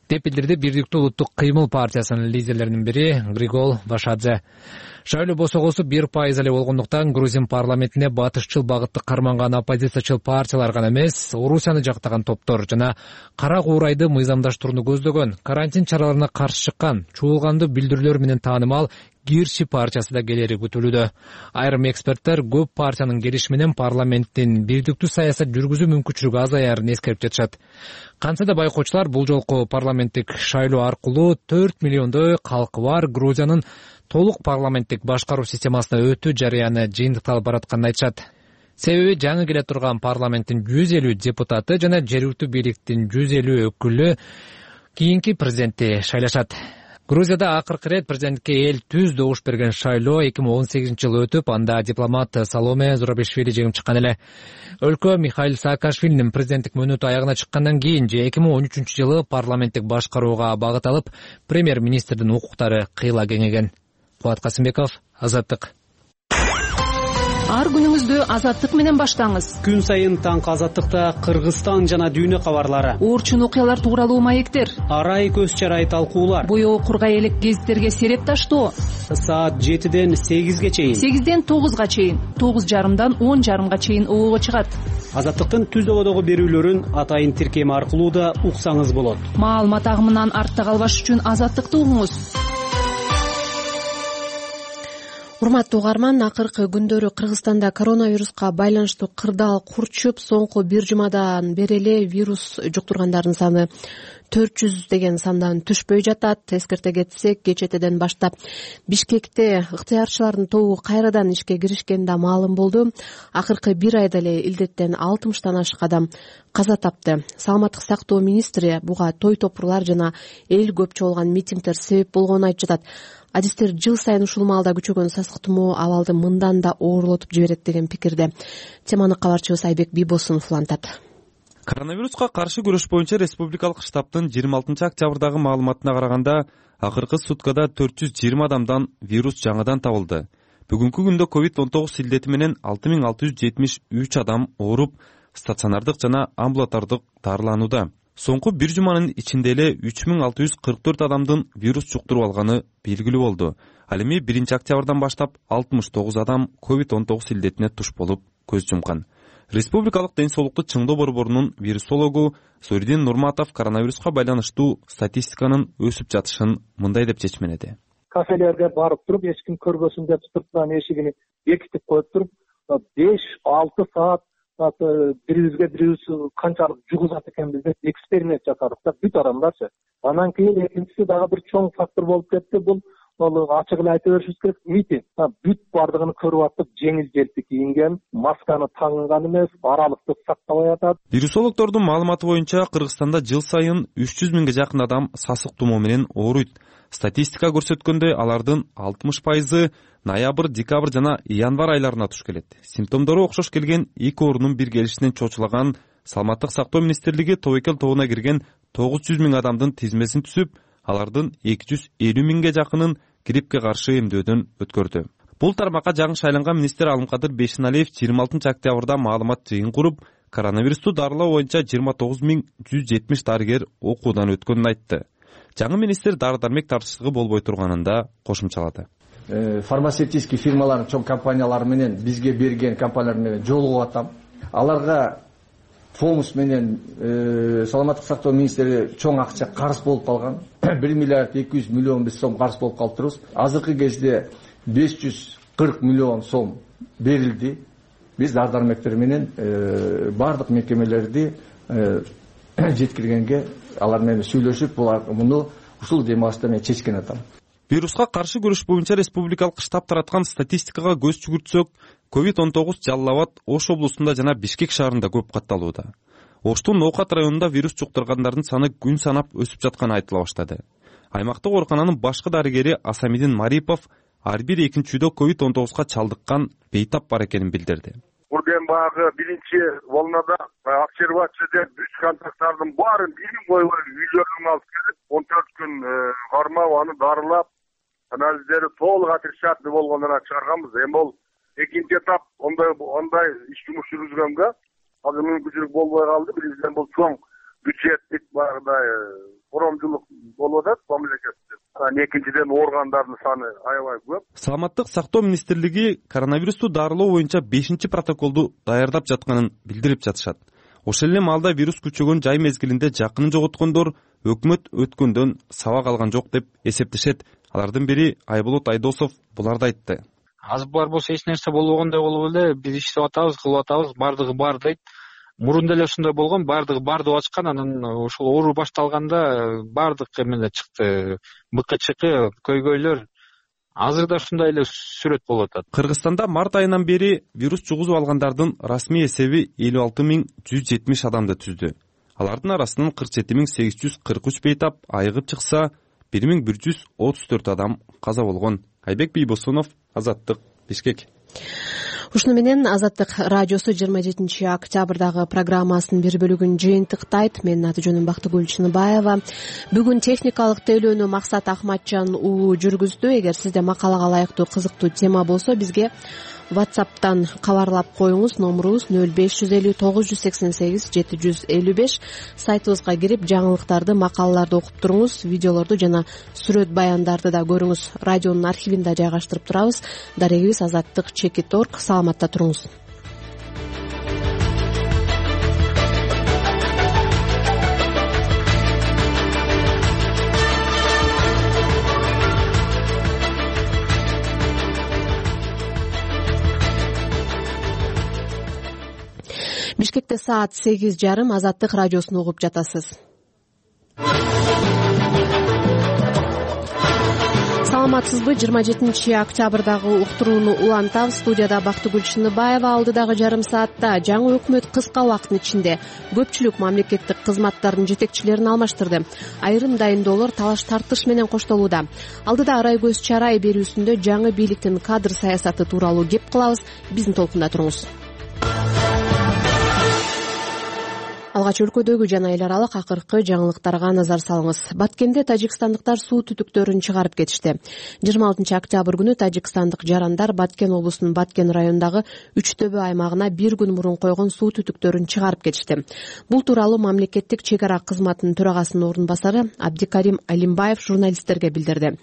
деп билдирди Бирдиктүү улуттук кыймыл партиясынын лидерлеринин бири Григол Вашадзе. Шайлоо босогосу 1% эле болгондуктан Грузин парламентине батышчыл багытты карманган оппозициячыл партиялар гана эмес, Орусияны жактаган топтор жана кара куурайды мыйзамдаштырууну көздөгөн, карантин чараларына каршы чыккан, чуулганды билдирүүлөр менен таанымал Гирчи партиясы да келери күтүлүүдө. Айрым эксперттер көп партиянын келиши менен парламенттин бирдиктүү саясат жүргүзүү мүмкүнчүлүгү азаярын эскерип жатышат. Кантса да байкоочулар бул жолку парламенттик шайлоо аркылуу 4 миллиондой калкы бар Грузиянын толук парламенттик башкаруу системасына өтүү жарыяны жыйынтыкталып баратканын айтышат. Себеби жаңы келе турган парламенттин 150 депутаты жана жергиликтүү бийликтин 150 өкүлү кийинки президентти шайлашат. Грузияда акыркы рет президентке эл түз добуш берген шайлоо 2018-жылы өтүп, анда дипломат Саломе Зурабишвили жеңип чыккан эле. Өлкө Михаил Саакашвилинин президенттик мөөнөтү аягына чыккандан кийин 2013-жылы парламенттик башкарууга багыт алып, премьер-министрдин укуктары кыйла кеңейген. Кубат Касымбеков, Азаттык. Ар күнүңүздү Азаттык менен баштаңыз. Күн сайын таңкы Азаттыкта Кыргызстан жана дүйнө кабарлары, Оорчун окуялар тууралуу маектер, арай көз чарай талкуулар, боёу кургай элек гезиттерге сереп таштоо. Саат 7ден 8ге чейин, 8ден 9га чейин, 9:30дан 10:30га чейин оого чыгат. Азаттыктын түз ободогу берүүлөрүн атайын тиркеми аркылуу да уксаңыз болот. Маалымат агымынан артта калбаш үчүн Азаттыкты угуңуз. Урматтуу угарман, акыркы күндөрү Кыргызстанда коронавируска байланыштуу кырдаал курчуп, соңку бир жумадан бери эле вирус жуктургандардын саны 400 деген сандан түшпөй жатат. Эскерте кетсек, кечетеден баштап Бишкекте ыктыярчылардын тобу кайрадан ишке киришкени да маалым болду. Акыркы бир айда эле илдеттен 60тан ашык адам каза тапты. Саламаттык сактоо министри буга той топурлар жана эл көп чогулган митингдер себеп болгонун айтып жатат. Адистер жыл сайын ушул маалда күчөгөн сасык тумоо абалды мындан да оорлотуп жиберет деген пикирде. Теманы кабарчыбыз Айбек Бийбосунов улантат. Коронавируска каршы күрөш боюнча республикалык штабтын 26 октябрдагы маалыматына караганда, акыркы суткада 420 адамдан вирус жаңыдан табылды. Бүгүнкү күндө COVID-19 илдети менен 6673 адам ооруп, стационардык жана амбулатордук дарыланууда. Соңку бир жуманын ичинде эле 3644 адамдын вирус жуктуруп алганы белгилүү болду. Ал эми 1 октябрдан баштап 69 адам COVID-19 илдетине туш болуп көз жумкан. Республикалык ден соолукту чыңдоо борборунун вирусологу Зоридин Нурматов коронавируска байланыштуу статистиканын өсүп жатышын мындай деп чечмеледи. Кафелерге барып туруп, эч ким көрбөсүн деп сырттан эшигин бекитип коюп туруп, 5-6 саат бирибизге бирибиз канчалык жугузат экенбиз деп эксперимент жасадык да, бүт адамдарчы. Анан кийин экинчиси дагы бир чоң фактор болуп кетти. Бул ачык эле айта беришибиз керек, митинг. Бүт бардыгын көрүп аттык, жеңил желпи кийинген, масканы тагынган эмес, аралыкты сактабай атат. Вирусологдордун маалыматы боюнча Кыргызстанда жыл сайын 300 миңге жакын адам сасык тумоо менен ооруйт. Статистика көрсөткөндөй, алардын 60% ноябрь, декабрь жана январь айларына туш келет. Симптомдору окшош келген эки оорунун бир келишинен чочулаган Саламаттык сактоо министрлиги тобокел тобуна кирген 900 миң адамдын тизмесин түзүп, алардын 250 миңге жакынын гриппке каршы эмдөөдөн өткөрдү. Бул тармакка жаңы шайланган министр Алымкадыр Бейшеналиев 26 октябрда маалымат жыйын куруп, коронавирусту дарылоо боюнча 29170 дарыгер окуудан өткөнүн айтты. Жаңы министр дары-дармек тартыштыгы болбой турганын да кошумчалады. Фармацевтический фирмалардын чоң компаниялары менен бизге берген компаниялар менен жолугуп атам. Аларга помощь менен саламаттык сактоо министри чоң акча карыз болуп калган. 1 миллиард 200 миллион биз сом карыз болуп калыптырбыз. Азыркы кезде 540 миллион сом берилди. Биз дары-дармектер менен бардык мекемелерди жеткиргенге алар менен сүйлөшүп, муну ушул демалышта мен чечкен атам. Вируска каршы күрөш боюнча республикалык штаб тараткан статистикага көз жүгүртсөк, COVID-19 Жалал Абад, Ош облусунда жана Бишкек шаарында көп катталууда. Оштун Ноокат районунда вирус жуктургандардын саны күн санап өсүп жатканы айтыла баштады. Аймактык оорукананын башкы дарыгери Асамидин Марипов ар бир экинчидө COVID-19га чалдыккан бейтап бар экенин билдирди. Бурден багы биринчи волнада обсервация деп 3 контакттардын баарын бирин койгой үйлөрүн алып келип, 14 күн кармап, аны дарылап, анализдери толук отрицательный болгондон чыгарганбыз. Эми ол экинчи этап ондай иш жумуш жүргүзгөнгө азыр мүмкүнчүлүк болбой калды. Биринчиден бул чоң бюджеттик багыдай коромчулук болуп атат мамлекетте. Экинчиден ооругандардын саны аябай көп. Саламаттык сактоо министрлиги коронавирусту дарылоо боюнча 5 протоколду даярдап жатканын билдирип жатышат. Ошол эле маалда вирус күчөгөн жай мезгилинде жакынын жоготкондор өкмөт өткөндөн сабак алган жок деп эсептешет. Алардын бири Айболот Айдосов буларды айтты. Азыр бар болсо эч нерсе болбогондой болуп эле биз иштеп атабыз, кылып атабыз, бардыгы бар дейт. Мурун деле ушундай болгон, бардыгы бар деп ачкан, анан ошол оору башталганда бардык эмелер чыкты. БКЧК, көйгөйлөр. Азыр да ушундай эле сүрөт болуп атат. Кыргызстанда март айынан бери вирус жугузуп алгандардын расмий эсеби 56170 адамды түздү. Алардын арасынан 47843 бейтап айыгып чыкса, 1134 адам каза болгон. Айбек Бийбосунов, Азаттык, Бишкек. Ушуну менен Азаттык радиосу 27 октябрдагы программасынын бир бөлүгүн жыйынтыктайт. Менин аты жөнүм Бактыгүл Чыныбаева. Бүгүн техникалык тейлөөнү Максат Ахматжан уулу жүргүздү. Эгер сизде макалага ылайыктуу кызыктуу тема болсо, бизге WhatsApp'тан кабарлап коюңуз. Номурубуз 0550 988 755. Сайтыбызга кирип жаңылыктарды, макалаларды окуп туруңуз. Видеолорду жана сүрөт баяндарды да көрүңүз. Радионун архивинде жайгаштырып турабыз. Дарегибиз azаттык.org. Саламатта туруңуз. Бишкекте саат 8:30. Азаттык радиосун угуп жатасыз. Саламатсызбы? 27 октябрдагы уктурууну улантабыз. Студияда Бактыгүл Чыныбаева. Алдыдагы жарым саатта жаңы өкмөт кыска убакыттын ичинде көпчүлүк мамлекеттик кызматтардын жетекчилерин алмаштырды. Айрым дайындоолор талаш тартыш менен коштолууда. Алдыда арай көз чарай берүүсүндө жаңы бийликтин кадр саясаты тууралуу кеп кылабыз. Биздин толкунда туруңуз. Алгач өлкөдөгү жана эл аралык акыркы жаңылыктарга назар салыңыз. Баткенде тажикстандыктар суу түтүктөрүн чыгарып кетишти. 26 октябрь күнү тажикстандык жарандар Баткен облусунун Баткен районундагы Үчтөбө аймагына бир күн мурун койгон суу түтүктөрүн чыгарып кетишти. Бул тууралуу мамлекеттик чек ара кызматынын төрагасынын орун басары Абдикарим Алимбаев журналисттерге билдирди.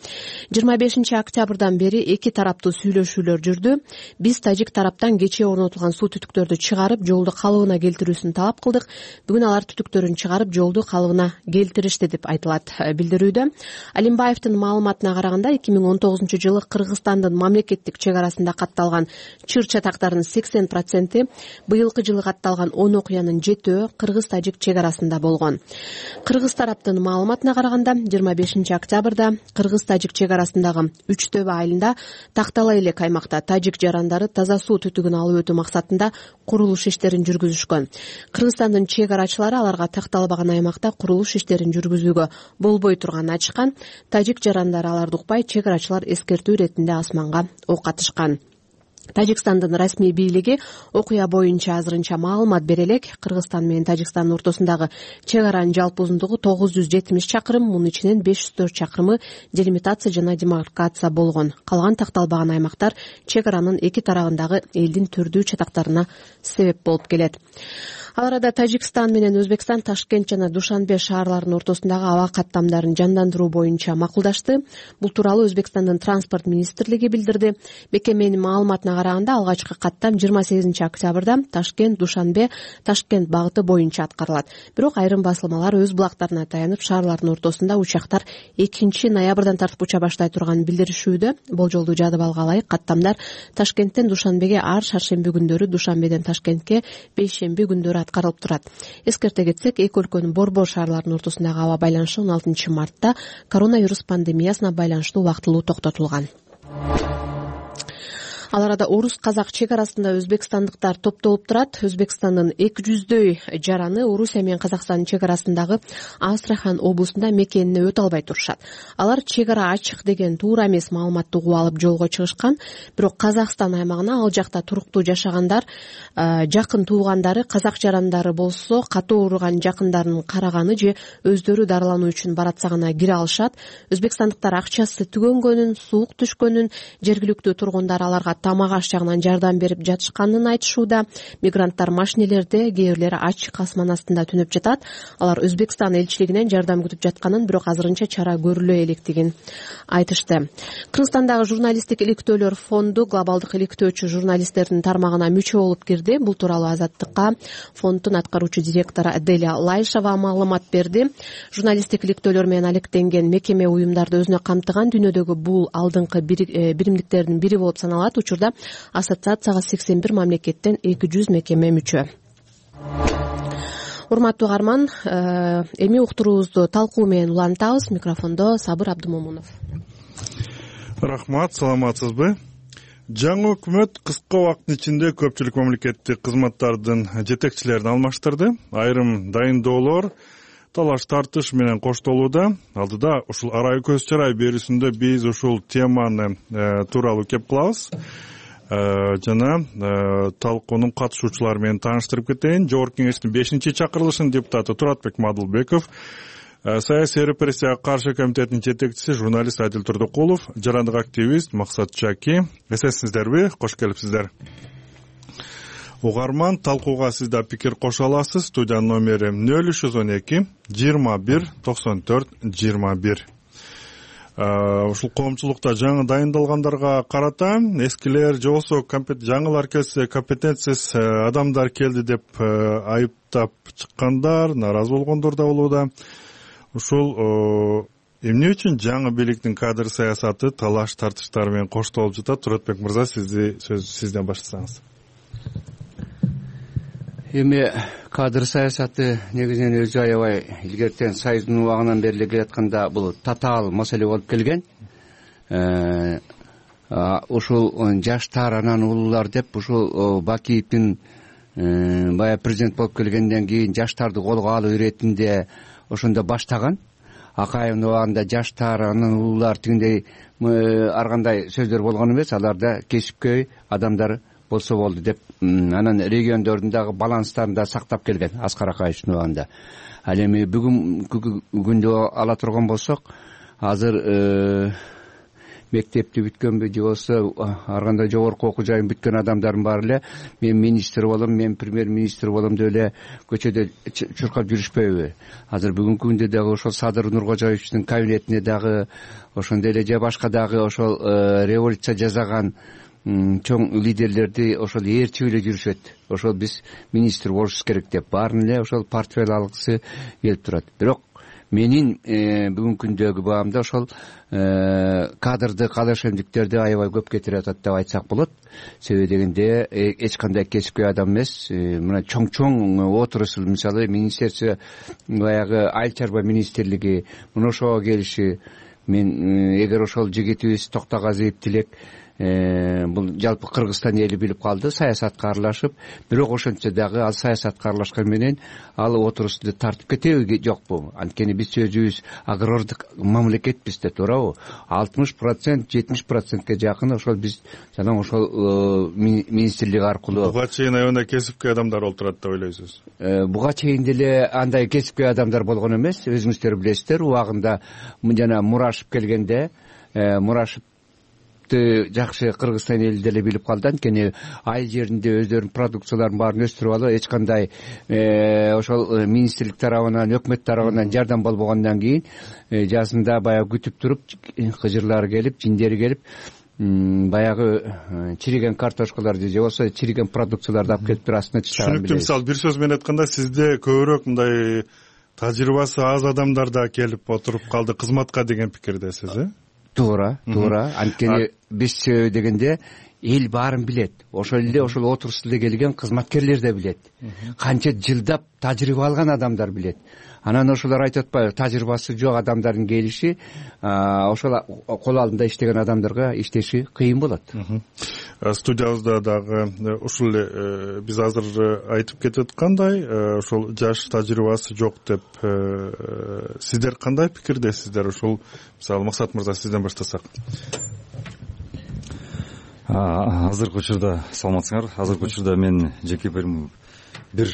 25 октябрдан бери эки тараптуу сүйлөшүүлөр жүрдү. Биз тажик тараптан кечээ орнотулган суу түтүктөрдү чыгарып, жолду калыбына келтирүүсүн талап кылдык. Бүгүн алар түтүктөрүн чыгарып, жолду калыбына келтиришти деп айтылат билдирүүдө. Алимбаевдин маалыматына караганда 2019 жылы Кыргызстандын мамлекеттик чек арасында катталган чыр чатактардын 80% быйылкы жылы катталган 10 окуянын 7-өө кыргыз-тажик чек арасында болгон. Кыргыз тараптын маалыматына караганда 25 октябрда кыргыз-тажик чек арасындагы Үчтөбө айылында Тактала элек аймакта тажик жарандары таза суу түтүгүн алып өтүү максатында курулуш иштерин жүргүзүшкөн. Кыргызстандын чек арачылары аларга такталбаган аймакта курулуш иштерин жүргүзүүгө болбой турганын айтышкан. Тажик жарандары аларды укпай, чек арачылар эскертүү иретинде асманга ок атышкан. Тажикстандын расмий бийлиги окуя боюнча азырынча маалымат бере элек. Кыргызстан менен Тажикстандын ортосундагы чек аранын жалпы узундугу 970 чакырым, мунун ичинен 504 чакырымы делимитация жана демаркация болгон. Калган такталбаган аймактар чек аранын эки тарабындагы элдин түрдүү чатактарына себеп болуп келет. Ал арада Тажикстан менен Өзбекстан Ташкент жана Душанбе шаарларынын ортосундагы аба каттамдарын жандандыруу боюнча макулдашты. Бул тууралуу Өзбекстандын транспорт министрлиги билдирди. Бекеменин маалыматына караганда алгачкы каттам 28 октябрда Ташкент, Душанбе, Ташкент багыты боюнча аткарылат. Бирок айрым басылмалар өз булактарына таянып, шаарлардын ортосунда учактар 2 ноябрдан тартып уча баштай турганын билдиришүүдө. Болжолду жадыбалга ылайык каттамдар Ташкенттен Душанбеге ар шаршемби күндөрү, Душанбеден Ташкентке бейшемби күндөрү аткарылып турат. Эскерте кетсек, эки өлкөнүн борбор шаарларынын ортосундагы аба байланышы 16 мартта коронавирус пандемиясына байланыштуу убактылуу токтотулган. Ал арада орус-казак чек арасында өзбекстандыктар топтолуп турат. Өзбекстандын 200дөй жараны Орусия менен Казакстандын чек арасындагы Астрахан облусунда мекенине өтө албай турушат. Алар чек ара ачык деген туура эмес маалыматты угуп алып жолго чыгышкан. Бирок Казакстан аймагына ал жакта туруктуу жашагандар, жакын туугандары, казак жарандары болсо катуу ооруган жакындарын караганы же өздөрү дарылануу үчүн баратса гана кире алышат. Өзбекстандыктар акчасы түгөнгөнүн, суук түшкөнүн, жергиликтүү тургундар аларга тамак аш жагынан жардам берип жатышканын айтышууда. Мигранттар машинелерде, кээ бирлери ачык асман астында түнөп жатат. Алар Өзбекстан элчилигинен жардам күтүп жатканын, бирок азырынча чара көрүлө электигин айтышты. Кыргызстандагы журналисттик иликтөөлөр фонду глобалдык иликтөөчү журналисттердин тармагына мүчө болуп кирди. Бул тууралуу Азаттыкка фонддун аткаруучу директору Аделя Лайшева маалымат берди. Журналисттик иликтөөлөр менен алектенген мекеме уюмдарды өзүнө камтыган дүйнөдөгү бул алдыңкы биримдиктердин бири болуп саналат. Учурда ассоциацияга 81 мамлекеттен 200 мекеме мүчө. Урматтуу угарман, эми уктуруубузду талкуу менен улантабыз. Микрофондо Сабыр Абдымомунов. Рахмат, саламатсызбы? Жаңы өкмөт кыска убакыттын ичинде көпчүлүк мамлекеттик кызматтардын жетекчилерин алмаштырды. Айрым дайындоолор талаш тартыш менен коштолууда. Алдыда ушул арай көз чарай берүүсүндө биз ушул теманы тууралуу кеп кылабыз. Жана талкуунун катышуучулары менен тааныштырып кетейин. Жогорку кеңештин 5-чакырылышынын депутаты Туратбек Мадылбеков, Саясий репрессияга каршы комитетинин жетекчиси журналист Адил Турдукулов, жарандык активист Максат Чаки. Эсесиңиздерби? Кош келипсиздер. Угарман, талкууга сиз да пикир кошо аласыз. Студиянын номери 0312 21 94 21. Ушул коомчулукта жаңы дайындалгандарга карата эскилер же болбосо жаңылар келсе компетенциясыз адамдар келди деп айыптап чыккандар, нааразы болгондор да болууда. Ушул эмне үчүн жаңы бийликтин кадр саясаты талаш тартыштар менен коштолуп жатат? Туратбек мырза, сөз сизден баштасаңыз. Эми кадр саясаты негизинен өзү аябай илгертен Союздун убагынан бери келатканда бул татаал маселе болуп келген. Ушул жаштар анан улуулар деп ушул Бакиевдин баягы президент болуп келгенден кийин жаштарды колго алуу иретинде ошондо баштаган. Акаевдин убагында жаштар анан улуулар тигиндей ар кандай сөздөр болгон эмес, аларда кесипкөй адамдар болсо болду деп анан региондордун дагы баланстарын да сактап келген Аскар Акаевдин убагында. Ал эми бүгүнкү күндө ала турган болсок, азыр мектепти бүткөнбү же болбосо ар кандай жогорку окуу жайын бүткөн адамдардын баары эле мен министр болом, мен премьер-министр болом деп эле көчөдө чуркап жүрүшпөйбү? Азыр бүгүнкү күндө дагы ошол Садыр Нуркожоевичтин кабинетине дагы ошондой эле же башка дагы ошол революция жасаган чоң лидерлерди ошол ээрчип эле жүрүшөт. Ошол биз министр болушубуз керек деп баарын эле ошол портфель алгысы келип турат. Бирок менин бүгүнкү күндөгү баамда ошол кадрды, калышемдиктерди аябай көп кетирип атат деп айтсак болот. Себеби дегенде эч кандай кесипкөй адам эмес. Мына чоң отурусул, мисалы министерство, баягы айыл чарба министрлиги мына ошого келиши. Мен эгер ошол жигитибиз Токтогазиев Тилек бул жалпы Кыргызстан эли билип калды, саясатка аралашып, бирок ошентсе дагы ал саясатка аралашкан менен ал отурусту тартып кетеби жокпу? Анткени биз өзүбүз агрардык мамлекетпиз да, туурабы? 60%, 70%ке жакын ошол биз жана ошол министрлик аркылуу. Буга чейин аябай кесипкөй адамдар болуп турат деп ойлойсуз? Буга чейин деле андай кесипкөй адамдар болгон эмес. Өзүңүздөр билесиздер, убагында жана Мурашев келгенде Мурашев жакшы Кыргызстан эли деле билип калды. Анткени айыл жеринде өздөрүнүн продукцияларын баарын өстүрүп алып, эч кандай ошол министрлик тарабынан, өкмөт тарабынан жардам болбогондон кийин жазында баягы күтүп туруп, кыжырлары келип, жиндери келип, баягы чириген картошкаларды же болбосо чириген продукцияларды алып келип туруп астына чыгарган. Түшүнүктүү. Мисалы бир сөз менен айтканда, сизде көбүрөөк мындай тажрыйбасы аз адамдар да келип отуруп калды кызматка деген пикирдесиз, Туура. Анткени биз дегенде эл баарын билет. Ошол эле ошол отурусуда келген кызматкерлер да билет. Канча жылдап тажрыйба алган адамдар билет. Анан ошолор айтып атпайбы, тажрыйбасы жок адамдардын келиши ошол кол алдында иштеген адамдарга иштеши кыйын болот. Студиябызда дагы ушул эле биз азыр айтып кетип аткандай, ошол жаш тажрыйбасы жок деп сиздер кандай пикирдесиздер? Ушул мисалы Максат мырза, сизден баштасак. Азыркы учурда саламатсыңар. Азыркы учурда мен жеке бир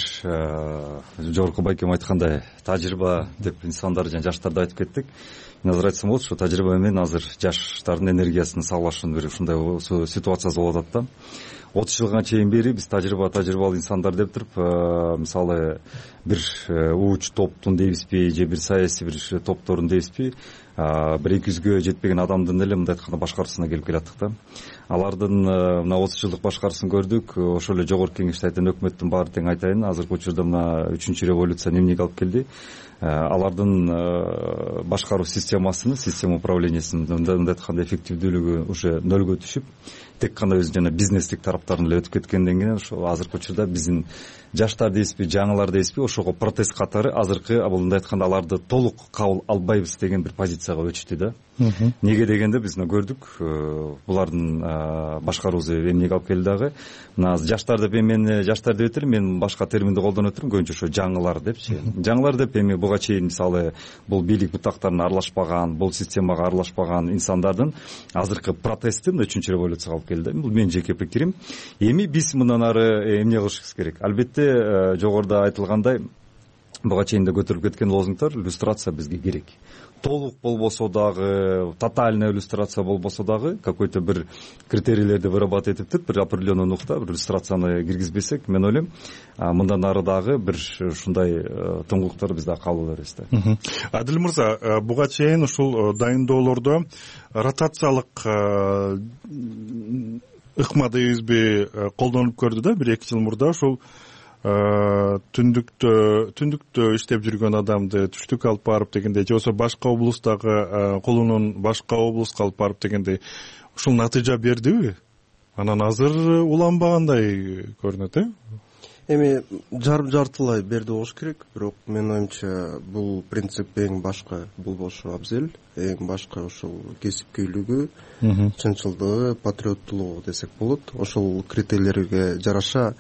жогорку байкем айткандай тажрыйба деп инсандар жана жаштарды айтып кеттик. Мен азыр айтсам болот, ушу тажрыйба менен азыр жаштардын энергиясын салгылашуунун бир ушундай ситуациясы болуп атат да. 30 жылга чейин бери биз тажрыйбалуу инсандар деп туруп, мисалы бир ууч топтун дейбизби же бир саясий бир топтордун дейбизби, бир 200гө жетпеген адамдын эле мындай айтканда башкаруусуна келип келаттык да. Алардын мына 30 жылдык башкаруусун көрдүк. Ошол эле жогорку кеңеште айтан өкмөттүн баары тең айтайын. Азыркы учурда мына 3-чү революция эмнеге алып келди? Алардын башкаруу система управлениясынын мындай айтканда эффективдүүлүгү уже нөлгө түшүп, тек гана өзү жана бизнестик тараптарын эле өтүп кеткенден кийин ошо азыркы учурда биздин жаштар дейсизби, жаңылар дейсизби, ошого протест катары азыркы мындай айтканда аларды толук кабыл албайбыз деген бир позицияга өтүштү да. Неге дегенде биз көрдүк, булардын башкаруусу эмнеге алып келди дагы. Мына жаштар деп мен жаштар деп этелим, мен башка терминди колдонуп отурум, көбүнчө ошо жаңылар депчи. Жаңылар деп эми буга чейин мисалы бул бийлик бутактарына аралашпаган, бул системага аралашпаган инсандардын азыркы протести мына 3-чү революцияга алып келди. Бул менин жеке пикирим. Эми биз мындан ары эмне кылышыбыз керек? Албетте жогоруда айтылгандай буга чейин да көтөрүлүп кеткен лозунгтар, иллюстрация бизге керек. Толук болбосо дагы, тотальная иллюстрация болбосо дагы, какой-то бир критерийлерди вырабатывать этиптир, бир определенный нукта, бир иллюстрацияны киргизбесек, мен ойлойм, мындан ары дагы бир ушундай тыңгылыктар бизде кабыл беребиз да. Адил мырза, буга чейин ушул дайындоолордо ротациялык ыкма дейбизби колдонулуп көрдү да, 1-2 жыл мурда. Ушул түндүктө иштеп жүргөн адамды түштүккө алып барып дегендей, же болбосо башка облустагы колунун башка облуска алып барып дегендей, ушул натыйжа бердиби? Анан азыр уланбагандай көрүнөт, Эми жартылай берди болуш керек, бирок менин оюмча бул принцип эң башка болбошу абзел, эң башка ошол кесипкөйлүгү, чынчылдыгы, патриоттуулугу десек болот. Ошол критерийлерге жараша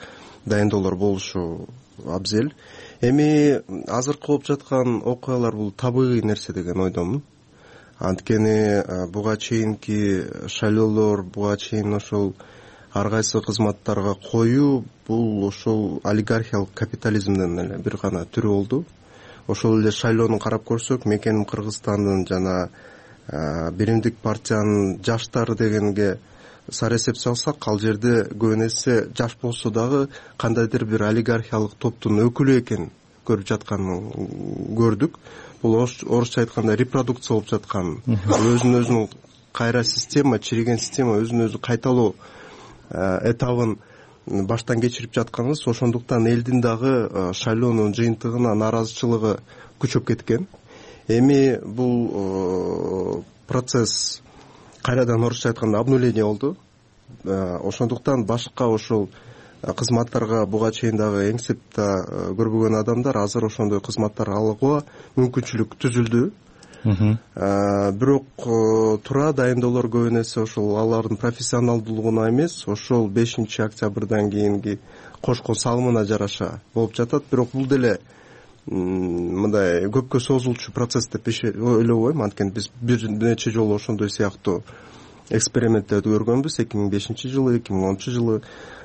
дайындоолор болушу абзел. Эми азыркы болуп жаткан окуялар бул табигый нерсе деген ойдомун. Анткени буга чейинки шайлоолор, буга чейин ошол ар кайсы кызматтарга коюу бул ошол олигархиялык капитализмдин эле бир гана түрү болду. Ошол эле шайлоону карап көрсөк, мекеним Кыргызстандын жана Биримдик партиянын жаштары дегенге сара эсеп салсак, ал жерде көбүн эсе жаш болсо дагы кандайдыр бир олигархиялык топтун өкүлү экенин көрүп жатканын көрдүк. Бул орусча айтканда репродукция болуп жаткан, өзүнүн өзүнүн кайра система, чириген система өзүнүн өзү кайталоо этабын баштан кечирип жатканыбыз. Ошондуктан элдин дагы шайлоонун жыйынтыгына нааразычылыгы күчөп кеткен. Эми бул процесс кайрадан орусча айтканда обнуление болду. Ошондуктан башка ошол кызматтарга буга чейин дагы эңсеп да көрбөгөн адамдар азыр ошондой кызматтар алууга мүмкүнчүлүк түзүлдү. Бирок туура дайындоолор көбүн эсе ошол алардын профессионалдуулугуна эмес, ошол 5 октябрдан кийинки кошкон салымына жараша болуп жатат. Бирок бул деле мындай көпкө созулчу процесс деп ойлобойм. Анткени биз бир нече жолу ошондой сыяктуу эксперименттерди көргөнбүз. 2005 жылы, 2010 жылы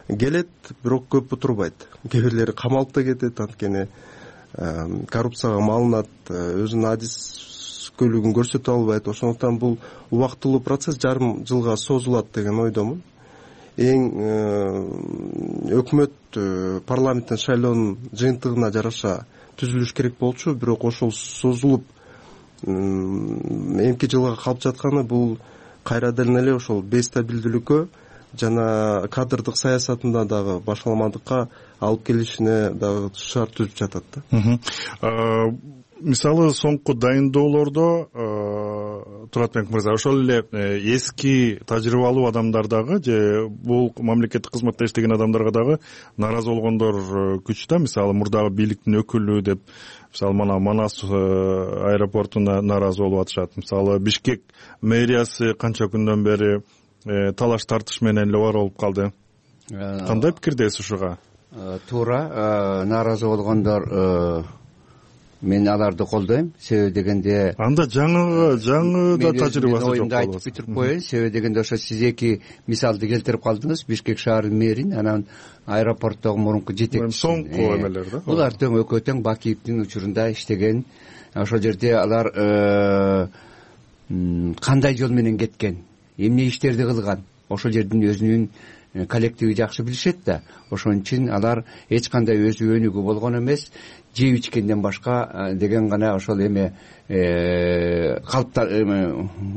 келет, бирок көп турбайт. Кээ бирлери камалып да кетет, анткени коррупцияга малынат, өзүнүн адискөйлүгүн көрсөтө албайт. Ошондуктан бул убактылуу процесс жарым жылга созулат деген ойдомун. Өкмөт парламенттин шайлоонун жыйынтыгына жараша түзүлүш керек болчу, бирок ошол созулуп эмки жылга калып жатканы бул кайрадан эле ошол бестабилдүүлүккө жана кадрдык саясатында дагы башаламандыкка алып келишине дагы шарт түзүп жатат да. Мисалы соңку дайындоолордо Туратбек мырза, ошол эле эски тажрыйбалуу адамдар дагы же бул мамлекеттик кызматта иштеген адамдарга дагы нааразы болгондор күч да. Мисалы мурдагы бийликтин өкүлү деп, мисалы мына Манас аэропортуна нааразы болуп атышат. Мисалы Бишкек мэриясы канча күндөн бери талаш тартыш менен эле бар болуп калды. Кандай пикирдесиз ушуга? Туура, нааразы болгондор мен аларды колдойм. Себеби дегенде анда жаңы да тажрыйбасы жок болот. Айтып бүтүрүп коеюн. Себеби дегенде ошо сиз эки мисалды келтирип калдыңыз. Бишкек шаарынын мэрин, анан аэропорттогу мурунку жетекчиси. Соңку эмелер да. Булар тең экөө тең Бакиевдин учурунда иштеген. Ошол жерде алар кандай жол менен кеткен, эмне иштерди кылган, ошол жердин өзүнүн коллективи жакшы билишет да. Ошон үчүн алар эч кандай өзү өнүгүү болгон эмес, жеп ичкенден башка деген гана ошол эме калыптар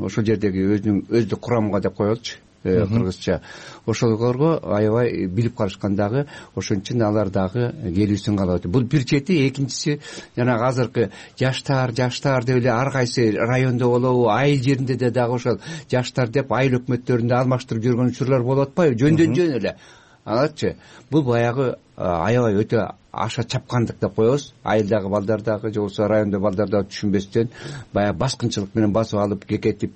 ошол жердеги өздүк курамга деп коелучу кыргызча. Ошолорго аябай билип калышкан дагы. Ошон үчүн алар дагы келүүсүн каалап атат. Бул бир чети. Экинчиси жана азыркы жаштар деп эле ар кайсы райондо болобу, айыл жеринде дагы ошол жаштар деп айыл өкмөттөрүндө алмаштырып жүргөн учурлар болуп атпайбы? Жөндөн жөн эле. Алачы, бул баягы аябай өтө аша чапкандык деп коебуз. Айылдагы балдар дагы же болбосо райондо балдар дагы түшүнбөстөн баягы баскынчылык менен басып алып кекетип,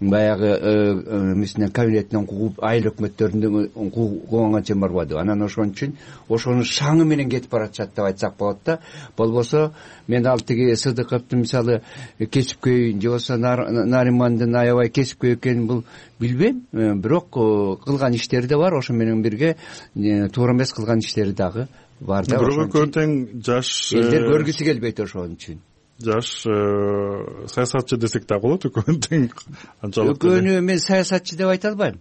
баягы эмесинен кабинетинен кууп айыл өкмөттөрүндөн кууганга чейин барбады. Анан ошон үчүн ошонун шаңы менен кетип баратышат деп айтсак болот да. Болбосо мен ал тиги Сыдыковдун мисалы кесипкөй же болбосо Наримандын аябай кесипкөй экенин бул билбейм, бирок кылган иштери да бар. Ошо менен бирге туура эмес кылган иштери дагы бар да. Бирок экөө тең жаш элдер көргүсү келбейт ошон үчүн. Жаш саясатчы десек да болот, экөөнү тең анчалык. Экөөнү мен саясатчы деп айта албайм.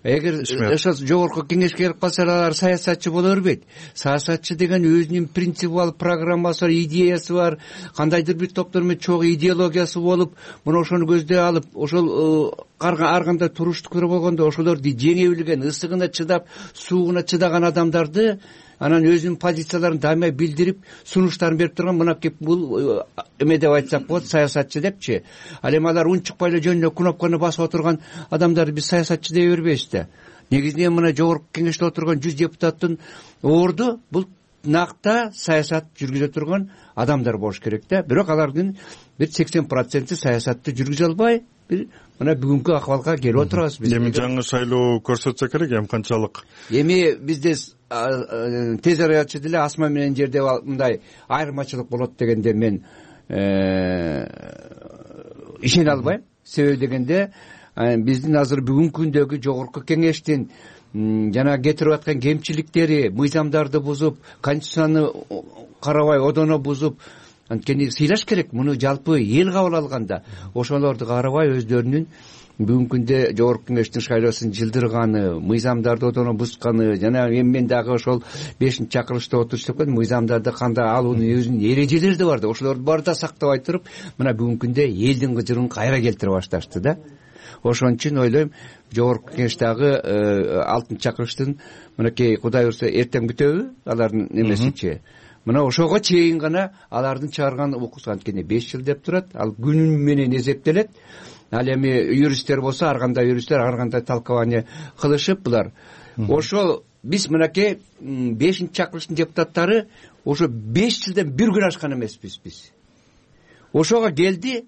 Эгер ошол жогорку кеңешке келип калсалар алар саясатчы боло бербейт. Саясатчы деген өзүнүн принциби бар, программасы бар, идеясы бар, кандайдыр бир топтор менен чогуу идеологиясы болуп, мына ошону көздөй алып, ошол ар кандай туруштуктар болгондо ошолорду жеңе билген, ысыгына чыдап, суугуна чыдаган адамдарды анан өзүнүн позицияларын дайыма билдирип, сунуштарын берип турган мынакей бул эме деп айтсак болот, саясатчы депчи. Ал эми алар унчукпай эле жөн эле кнопканы басып отурган адамдарды биз саясатчы дей бербейбиз да. Негизинен мына жогорку кеңеште отурган 100 депутаттын орду бул накта саясат жүргүзө турган адамдар болуш керек да. Бирок алардын бир 80% саясатты жүргүзө албай, бир мына бүгүнкү акыбалга келип отурабыз биз. Эми жаңы шайлоо көрсөтсө керек, эми канчалык? Эми бизде тез арада деле асма менен жерде мындай айырмачылык болот дегенде мен ишене албайм. Себеби дегенде биздин азыр бүгүнкү күндөгү жогорку кеңештин жана кетирип аткан кемчиликтери, мыйзамдарды бузуп, конституцияны карабай одоно бузуп, анткени сыйлаш керек. Муну жалпы эл кабыл алганда ошолорду карабай өздөрүнүн бүгүнкү күндө жогорку кеңештин шайлоосун жылдырганы, мыйзамдарды одоно бузганы, жана мен дагы ошол 5-чакырылышта отуруп жаткан мыйзамдарды кандай алуунун өзүнүн эрежелери да бар да. Ошолорду баары да сактабай туруп, мына бүгүнкү күндө элдин кыжырын кайра келтире башташты да. Ошон үчүн ойлойм, жогорку кеңештагы 6-чакырылыштын мынакей Кудай буйрса эртең бүтөбү алардын немесичи. Мына ошого чейин гана алардын чыгарган укугусу, анткени 5 жыл деп турат, ал күн менен эсептелет. Ал эми юристтер болсо ар кандай юристтер ар кандай толкование кылышып булар. Ошол биз мынакей 5-чакырылыштын депутаттары ошо 5 жылдан бир күн ашкан эмеспиз биз. Ошого келди,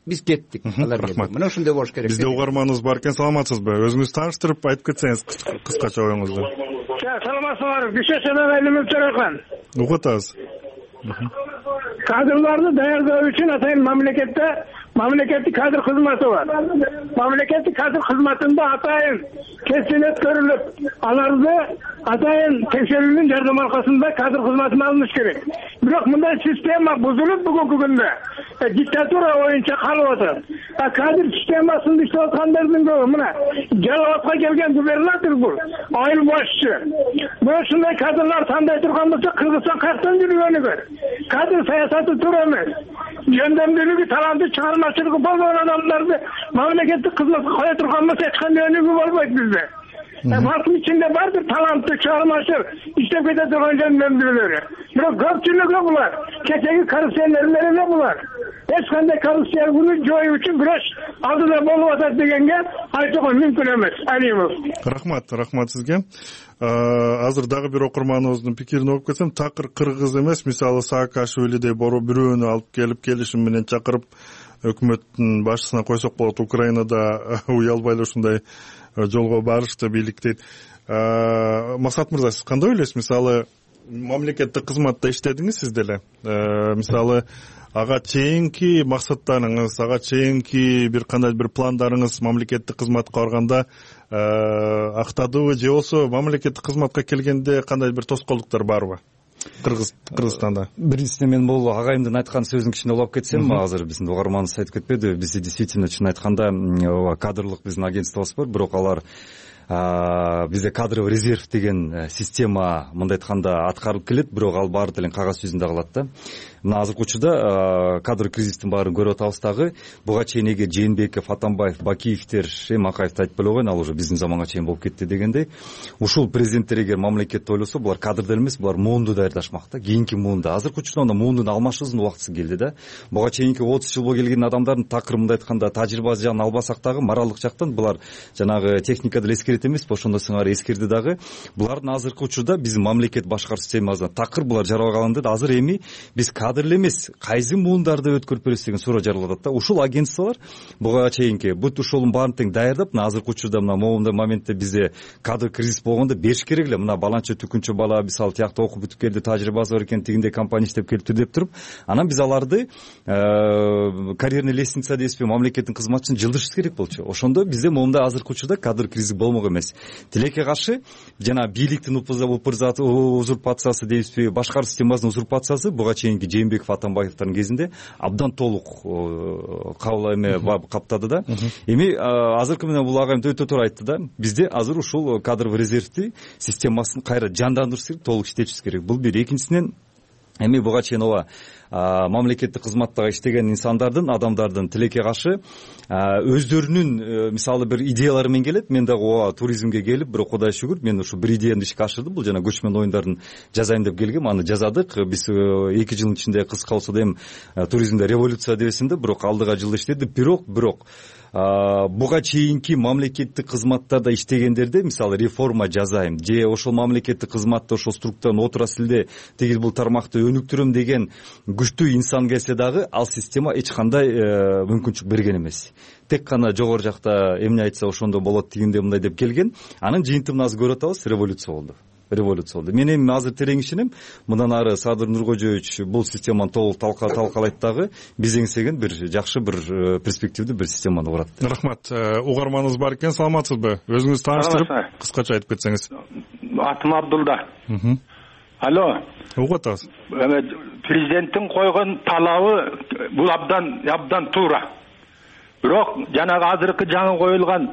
биз кеттик. Рахмат. Мына ошондой болуш керек. Бизде угарманыбыз бар экен, саламатсызбы? Өзүңүз тааныштырып айтып кетсеңиз кыскача оюңузду. Саламатсызбы? Бишешеден Элимов Төрөкан. Угуп атабыз. Кадрларды даярдоо үчүн атайын мамлекеттик кадр кызматы бар. Мамлекеттик кадр кызматында атайын кесип өткөрүлүп, аларды атайын текшерүүнүн жардамы аркасында кадр кызматына алыныш керек. Бирок мындай система бузулуп бүгүнкү күндө диктатура боюнча калып атат. Кадр системасында иштеп аткандардын көбү мына Жалал-Абадка келген губернатор бул, айыл башчы. Мына ушундай кадрлар тандай турган болсо Кыргызстан каяктан жүргөнү көр. Кадр саясаты туура эмес. Жөндөмдүүлүгү, таланты, чыгармачылыгы болгон адамдарды мамлекеттик кызматка кое турган болсо эч кандай өнүгүү болбойт бизде. Халктын ичинде бар бир талантты, чыгармачыл иштеп кете турган жөндөмдүүлөрү. Бирок көпчүлүгү булар кечеги коррупционерлер эле булар. Эч кандай коррупцияны жоюу үчүн күрөш алдыда болуп атат дегенге айтууга мүмкүн эмес. Алимов. Рахмат сизге. Азыр дагы бир окурманыбыздын пикирин окуп кетсем, такыр кыргыз эмес, мисалы Саакашвилидей бирөөнү алып келип келишим менен чакырып өкмөттүн башчысына койсок болот. Украинада уялбай эле ушундай жолго барышты бийлик дейт. Максат мырза, сиз кандай ойлойсуз? Мисалы мамлекеттик кызматта иштедиңиз сиз деле. Мисалы ага чейинки максаттарыңыз, ага чейинки бир кандай бир пландарыңыз мамлекеттик кызматка барганда актадыбы, же болбосо мамлекеттик кызматка келгенде кандай бир тоскоолдуктар барбы Кыргызстанда? Биринчиден мен бул агайымдын айткан сөзүн кичине улап кетсем, азыр биздин угарманыбыз айтып кетпеди, бизде действительно чын айтканда кадрлык биздин агентствобуз бар, бирок алар бизде кадровый резерв деген система мындай айтканда аткарылып келет, бирок ал баары деле кагаз жүзүндө калат да. Мына азыркы учурда кадр кризистин баарын көрүп атабыз дагы. Буга чейин эгер Жээнбеков, Атамбаев, Бакиевдер, Макаевди айтып эле койгон, ал уже биздин заманга чейин болуп кетти дегендей. Ушул президенттер эгер мамлекетти ойлосо, булар кадрды эмес, булар муунду даярдашмак да, кийинки муунду. Азыркы учурда муундун алмашуусунун убактысы келди да. Буга чейинки 30 жыл болуп келген адамдардын такыр мындай айтканда тажрыйбасы жагын албасак дагы, моралдык жактан булар жанагы техника деле эскерет эмес, ошондо сыңары эскерди дагы. Булардын азыркы учурда биздин мамлекет башкаруу системасына такыр булар жаралганында азыр эми биз кадр эле эмес, кайсы муундарды өткөрүп бересиз деген суроо жаралып атат да. Ушул агентстволор буга чейинки бүт ушулун баарын тең даярдап, мына азыркы учурда мына моундай моментте бизде кадр кризис болгондо бериш керек эле. Мына баланча түкүнчү бала мисалы тиякта окуп бүтүп келди, тажрыйбасы бар экен, тигиндей компания иштеп келиптир деп туруп, анан биз аларды карьерный лестница дейсизби, мамлекеттин кызматчысын жылдырышыбыз керек болчу. Ошондо бизде моундай азыркы учурда кадр кризиси болмок эмес. Тилекке каршы жана бийликтин узурпациясы дейсизби, башкаруу системасынын узурпациясы буга чейинки Жээнбеков, Атамбаевдин кезинде абдан толук каптады да. Эми азыркы менен бул агайым өтө туура айтты да. Бизде азыр ушул кадровый резервти системасын кайра жандандырыш керек, толук иштетишибиз керек. Бул бир. Экинчисинен эми буга чейин ооба мамлекеттик кызматтагы иштеген инсандардын, адамдардын тилекке каршы өздөрүнүн мисалы бир идеялары менен келет. Мен дагы ооба туризмге келип, бирок Кудайга шүгүр, мен ушу бир идеямды ишке ашырдым. Бул жана көчмөн оюндарын жазайын деп келгем, аны жазадык. Биз 2 жылдын ичинде кыска болсо да эми туризмде революция дебесин да, бирок алдыга жылда иштеди. Бирок буга чейинки мамлекеттик кызматтарда иштегендерде мисалы реформа жасайм же ошол мамлекеттик кызматта ошол структуранын отурасы эле тигил бул тармакты өнүктүрөм деген күчтүү инсан келсе дагы ал система эч кандай мүмкүнчүлүк берген эмес. Тек гана жогору жакта эмне айтса ошондо болот, тигинде мындай деп келген. Анын жыйынтыгын азыр көрүп атабыз, революция болду. Мен эми азыр терең ишенем, мындан ары Садыр Нуркожоевич бул системаны толук талкалайт дагы, биз эңсеген бир жакшы бир перспективдүү бир системаны курат. Рахмат. Угарманыбыз бар экен, саламатсызбы? Өзүңүз тааныштырып, кыскача айтып кетсеңиз. Атым Абдулда. Алло. Угуп атабыз. Президенттин койгон талабы бул абдан туура. Бирок жанагы азыркы жаңы коюлган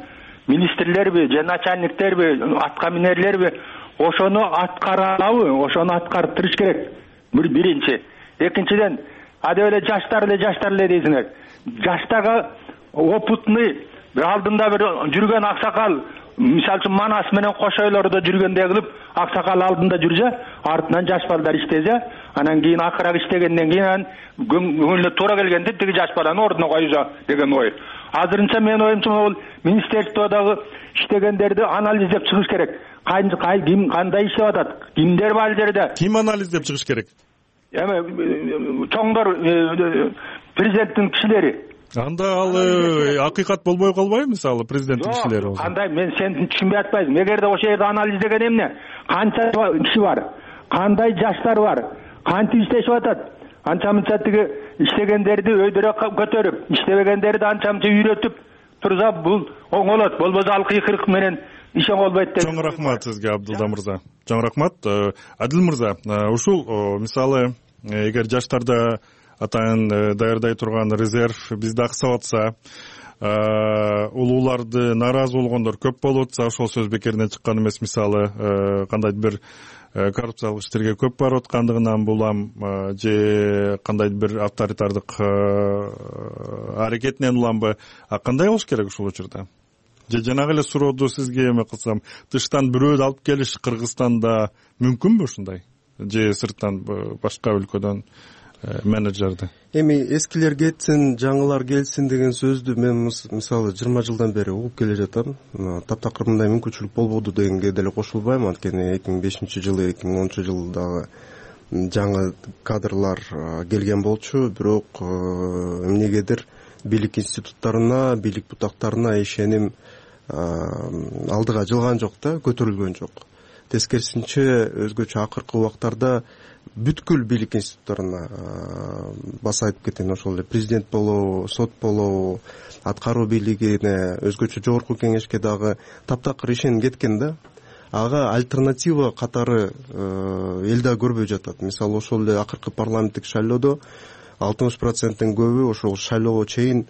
министрлерби же начальниктерби, атка минерлерби ошону аткара алабы, ошону аткарып туруш керек. Биринчи. Экинчиден, адеп эле жаштар эле дейсиңер. Жаштагы опытный бир алдында бир жүргөн аксакал, мисалы үчүн Манас менен Кошойлордо жүргөндөй кылып, аксакал алдында жүрсө, артынан жаш балдар иштесе, анан кийин акырак иштегенден кийин көңүлүнө туура келгенде тиги жаш баланы ордуна коюшо деген ой. Азырынча менин оюмча бул министрликтодогу иштегендерди анализдеп чыгыш керек. Ким кандай иштеп атат? Кимдер бар жерде? Ким анализдеп чыгыш керек? Эми чоңдор президенттин кишилери. Анда ал акыйкат болбой калбайбы, мисалы президенттин кишилери болсо? Кандай, мен сени түшүнбөй атпайсың. Эгерде ошол жерде анализдеген эмне? Канча киши бар? Кандай жаштар бар? Кантип иштешип атат? Анча-мынча тиги иштегендерди өйдөрө көтөрүп, иштебегендерди анча-мынча үйрөтүп турса, бул оңолот. Болбосо ал кыйкырык менен ишен болбойт деп. Чоң рахмат сизге, Абдулда мырза. Чоң рахмат. Адил мырза, ушул мисалы эгер жаштарда атайын даярдай турган резерв бизде аксап атса, улууларды нааразы болгондор көп болуп атса, ошол сөз бекеринен чыккан эмес. Мисалы кандайдыр бир коррупциялык иштерге көп барып аткандыгынан булам же кандайдыр бир авторитардык аракетинен уламбы, кандай болуш керек ушул учурда? Же жанагы эле сурооду сизге эме кылсам, тыштан бирөөдү алып келиш Кыргызстанда мүмкүнбү ушундай? Же сырттан башка өлкөдөн менеджерди? Эми эскилер кетсин, жаңылар келсин деген сөздү мен мисалы 20 жылдан бери угуп келе жатам. Таптакыр мындай мүмкүнчүлүк болбоду дегенге деле кошулбайм, анткени 2005-жылы 2010-жылдагы жаңы кадрлар келген болчу, бирок эмнегедир бийлик институттарына, бийлик бутактарына ишеним алдыга жылган жок да, көтөрүлгөн жок. Тескерисинче өзгөчө акыркы убактарда бүткүл бийлик институттарына басайтып кеткен, ошол эле президент болобу, сот болобу, аткаруу бийлигине, өзгөчө жогорку кеңешке дагы таптакыр ишенип кеткен да. Ага альтернатива катары эл да көрбөй жатат. Мисалы ошол эле акыркы парламенттик шайлоодо 60%-тен көбү ошол шайлоого чейин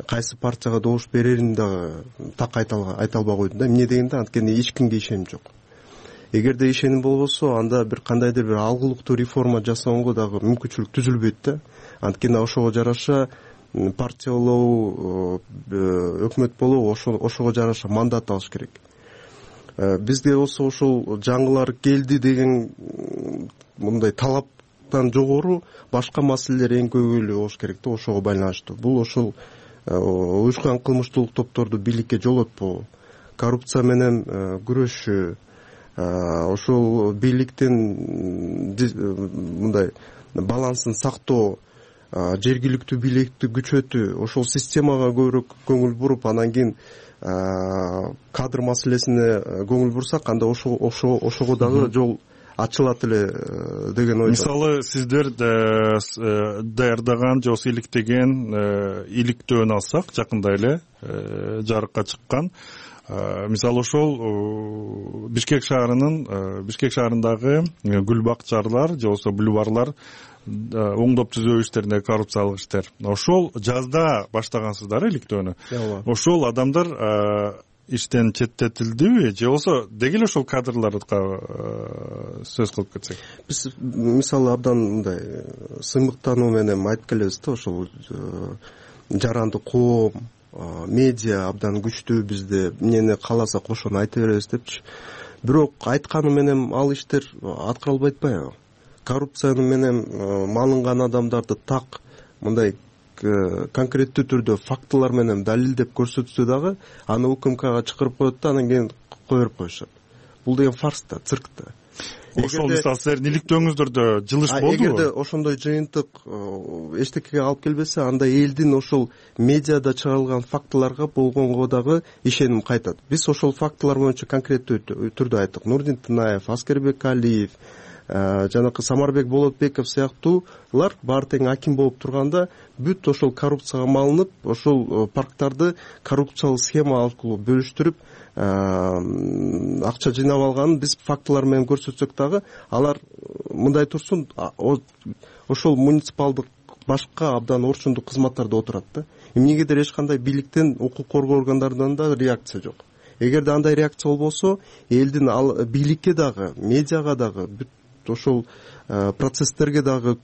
кайсы партияга добуш берерин дагы так айта албай койду да. Эмне дегенде, анткени эч кимге ишеним жок. Эгерде ишеним болбосо, анда бир кандайдыр бир алгылыктуу реформа жасоого дагы мүмкүнчүлүк түзүлбөйт да. Анткени ошого жараша партия болобу, өкмөт болобу, ошого жараша мандат алыш керек. Бизде болсо ошол жаңылар келди деген мындай талаптан жогору башка маселелер эң көбүйлүү болуш керек да, ошого байланыштуу. Бул ошол уюшкан кылмыштуулук топторду бийликке жолотпоо, коррупция менен күрөшүү, ошол бийликтин мындай балансын сактоо, жергиликтүү бийликти күчөтүү, ошол системага көбүрөөк көңүл буруп, анан кийин кадр маселесине көңүл бурсак, анда ошого дагы жол ачылат эле деген ой. Мисалы сиздер даярдаган же болбосо иликтеген иликтөөнү алсак, жакында эле жарыкка чыккан, мисалы ошол Бишкек шаарындагы гүл бакчалар же болбосо бульварлар оңдоп түзөө иштеринде коррупциялык иштер. Ошол жазда баштагансыздар иликтөөнү. Ошол адамдар иштен четтетилдиби же болбосо деги эле ошол кадрларга сөз кылып кетсек? Биз мисалы абдан мындай сыймыктануу менен айтып келебиз да, ошол жаранды коом, медиа абдан күчтүү бизде, эмнени кааласак ошону айта беребиз депчи. Бирок айтканы менен ал иштер аткарылбай атпайбы? Коррупцияны менен малынган адамдарды так мындай конкреттүү түрдө фактылар менен далилдеп көрсөтсө дагы аны УКМКга чакырып коет да, анан кийин кое берип коюшат. Бул деген фарс да, цирк да. Ошол мисалы силердин иликтөөңүздөрдө жылыш болдубу? Эгерде ошондой жыйынтык эчтекеге алып келбесе, анда элдин ошол медиада чыгарылган фактыларга болгонго дагы ишеним кайтат. Биз ошол фактылар боюнча конкреттүү түрдө айттык. Нурдин Тынаев, Аскербек Алиев, жанакы Самарбек Болотбеков сыяктуулар баары тең аким болуп турганда бүт ошол коррупцияга малынып, ошол парктарды коррупциялык схема аркылуу бөлүштүрүп акча жыйнап алганын биз фактылар менен көрсөтсөк дагы, алар мындай турсун, ошол муниципалдык башка абдан орчундук кызматтарда отурат да. Эмнегедир эч кандай бийликтен, укук коргоо органдарынан да реакция жок. Эгерде андай реакция болбосо, элдин бийликке дагы, медиага дагы, бүт ошол процесстерге дагы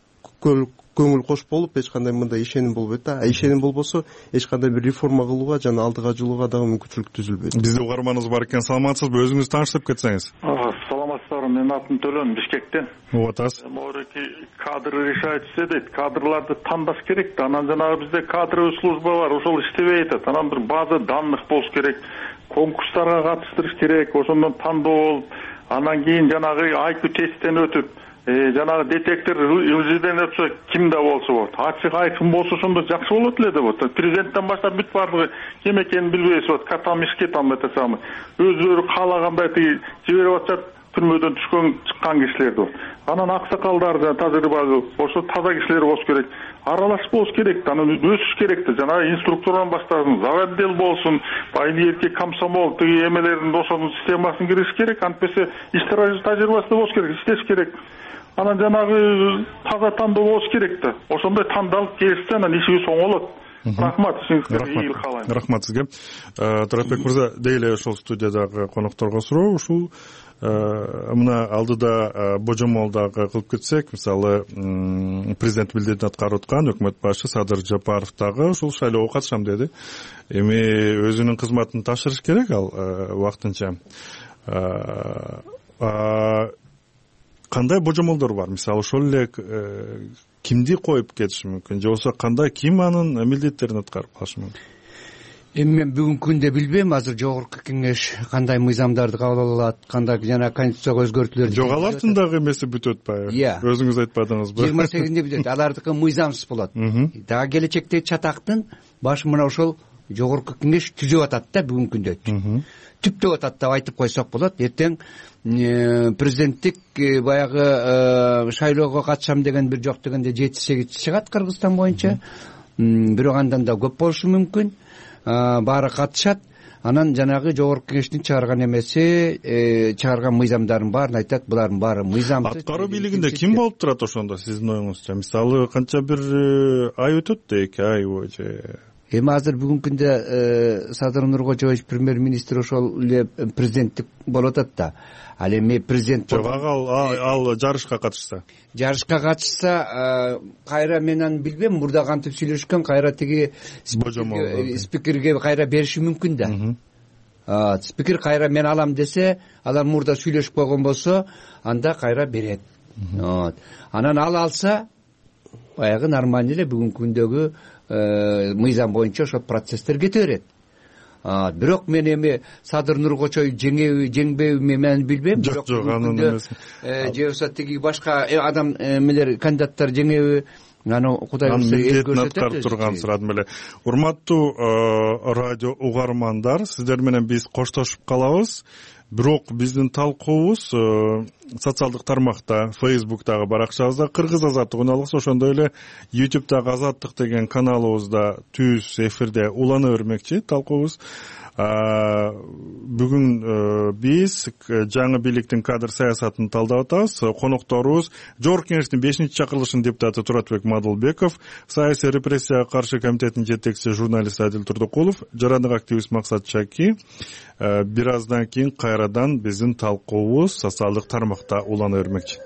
көңүл кош болуп, эч кандай мындай ишеним болбойт да. Ишеним болбосо, эч кандай бир реформа кылууга жана алдыга жылууга дагы мүмкүнчүлүк түзүлбөйт. Бизде угарманыбыз бар экен. Саламатсызбы? Өзүңүздү тааныштырып кетсеңиз. Саламатсыздарбы, менин атым Төлөн, Бишкектен. Атасыз. Могуреки кадр решается дейт. Кадрларды тандаш керек да. Анан жанагы бизде кадровый служба бар, ошол иштебей атат. Анан бир база данных болуш керек. Конкурстарга катыштырыш керек, ошондон тандоо болуп, анан кийин жанагы IQ тесттен өтүп, жанагы детектор ылжыдан өтсө кимде болсо болот. Ачык айкын болсо ошондо жакшы болот эле деп атат. Президенттен баштап бүт баардыгы ким экенин билбейбиз болот. Катамишке там это самый. Өзүлөрү каалагандай жиберип атышат, түрмөдөн чыккан кишилерди болот. Анан аксакалдар жана тажрыйбалуу, ошо таза кишилер болуш керек. Аралашып болуш керек да, анан өсүш керек да. Жанагы инструктурдан баштасын, заводдел болсун, байли эркек комсомол, тиги эмелердин ошонун системасына кириш керек. Антпесе иш тажрыйбасы болуш керек, иштеш керек. Анан жанагы таза тандоо болуш керек да. Ошондой тандалып келсе, анан ишибиз оңолот. Рахмат, сиңизге ийгилик каалайм. Рахмат сизге. Туратбек мырза, дейли ошол студиядагы конокторго суроо, ушул мына алдыда божомолдагы кылып кетсек, мисалы президент милдетин аткарып аткан өкмөт башы Садыр Жапаров дагы ушул шайлоого катышам деди. Эми өзүнүн кызматын тапшырыш керек ал убактынча. Кандай божомолдор бар? Мисалы ошол эле кимди коюп кетиши мүмкүн, же болбосо кандай ким анын милдеттерин аткарып калышы мүмкүн? Эми мен бүгүнкү күндө билбейм, азыр жогорку кеңеш кандай мыйзамдарды кабыл алат, кандай жана конституцияга өзгөртүүлөр. Жок, алардын дагы эмеси бүтүп атпайбы? Өзүңүз айтпадыңызбы? 28-нде бүтөт, алардыкы мыйзамсыз болот. Дагы келечектеги чатактын башы мына ошол жогорку кеңеш түзүп атат да бүгүнкү күндө. Түптөп атат деп айтып койсок болот. Эртең президенттик баягы шайлоого катышам деген бир жок дегенде 7-8 чыгат Кыргызстан боюнча. Бирок андан да көп болушу мүмкүн. Баары катышат. Анан жанагы жогорку кеңештин чыгарган эмеси, чыгарган мыйзамдарын баарын айтат, булардын баары мыйзамсыз. Аткаруу бийлигинде ким болуп турат ошондо сиздин оюңузча? Мисалы канча бир ай өтөт да, 2 ай же? Эми азыр бүгүнкү күндө Садыр Нуркожоевич премьер-министр ошол эле президенттик болуп атат да. Ал эми президент жок, ал жарышка катышса. Жарышка катышса, кайра мен аны билбейм, мурда кантип сүйлөшкөн, кайра тиги спикерге кайра бериши мүмкүн да. Спикер кайра мен алам десе, алар мурда сүйлөшүп койгон болсо, анда кайра берет. Анан ал алса, баягы нормальный эле бүгүнкү күндөгү мыйзам боюнча ошол процесстер кете берет. Бирок мен эми Садыр Нуркочой жеңбейби мен билбейм. Жок, анын эмес. Же болбосо тиги башка адам эмелер кандидаттар жеңеби, аны Кудай буюрса эл көрсөтөт. Аткарып турган сурадым эле. Урматтуу радио угармандар, сиздер менен биз коштошуп калабыз. Бирок биздин талкуубуз социалдык тармакта, Facebook'тагы баракчабызда, Кыргыз азаттык үналгыс, ошондой эле YouTube'дагы Азаттык деген каналыбызда түз эфирде улана бермекчи талкуубуз. Бүгүн биз жаңы бийликтин кадр саясатын талдап атабыз. Конокторубуз Жогорку Кеңештин 5-чакырылышынын депутаты Туратбек Мадылбеков, саясий репрессияга каршы комитетинин жетекчиси журналист Адил Турдукулов, жарандык активист Максат Чаки. Бир аздан кийин кайрадан биздин талкуубуз социалдык тармакта улана бермекчи.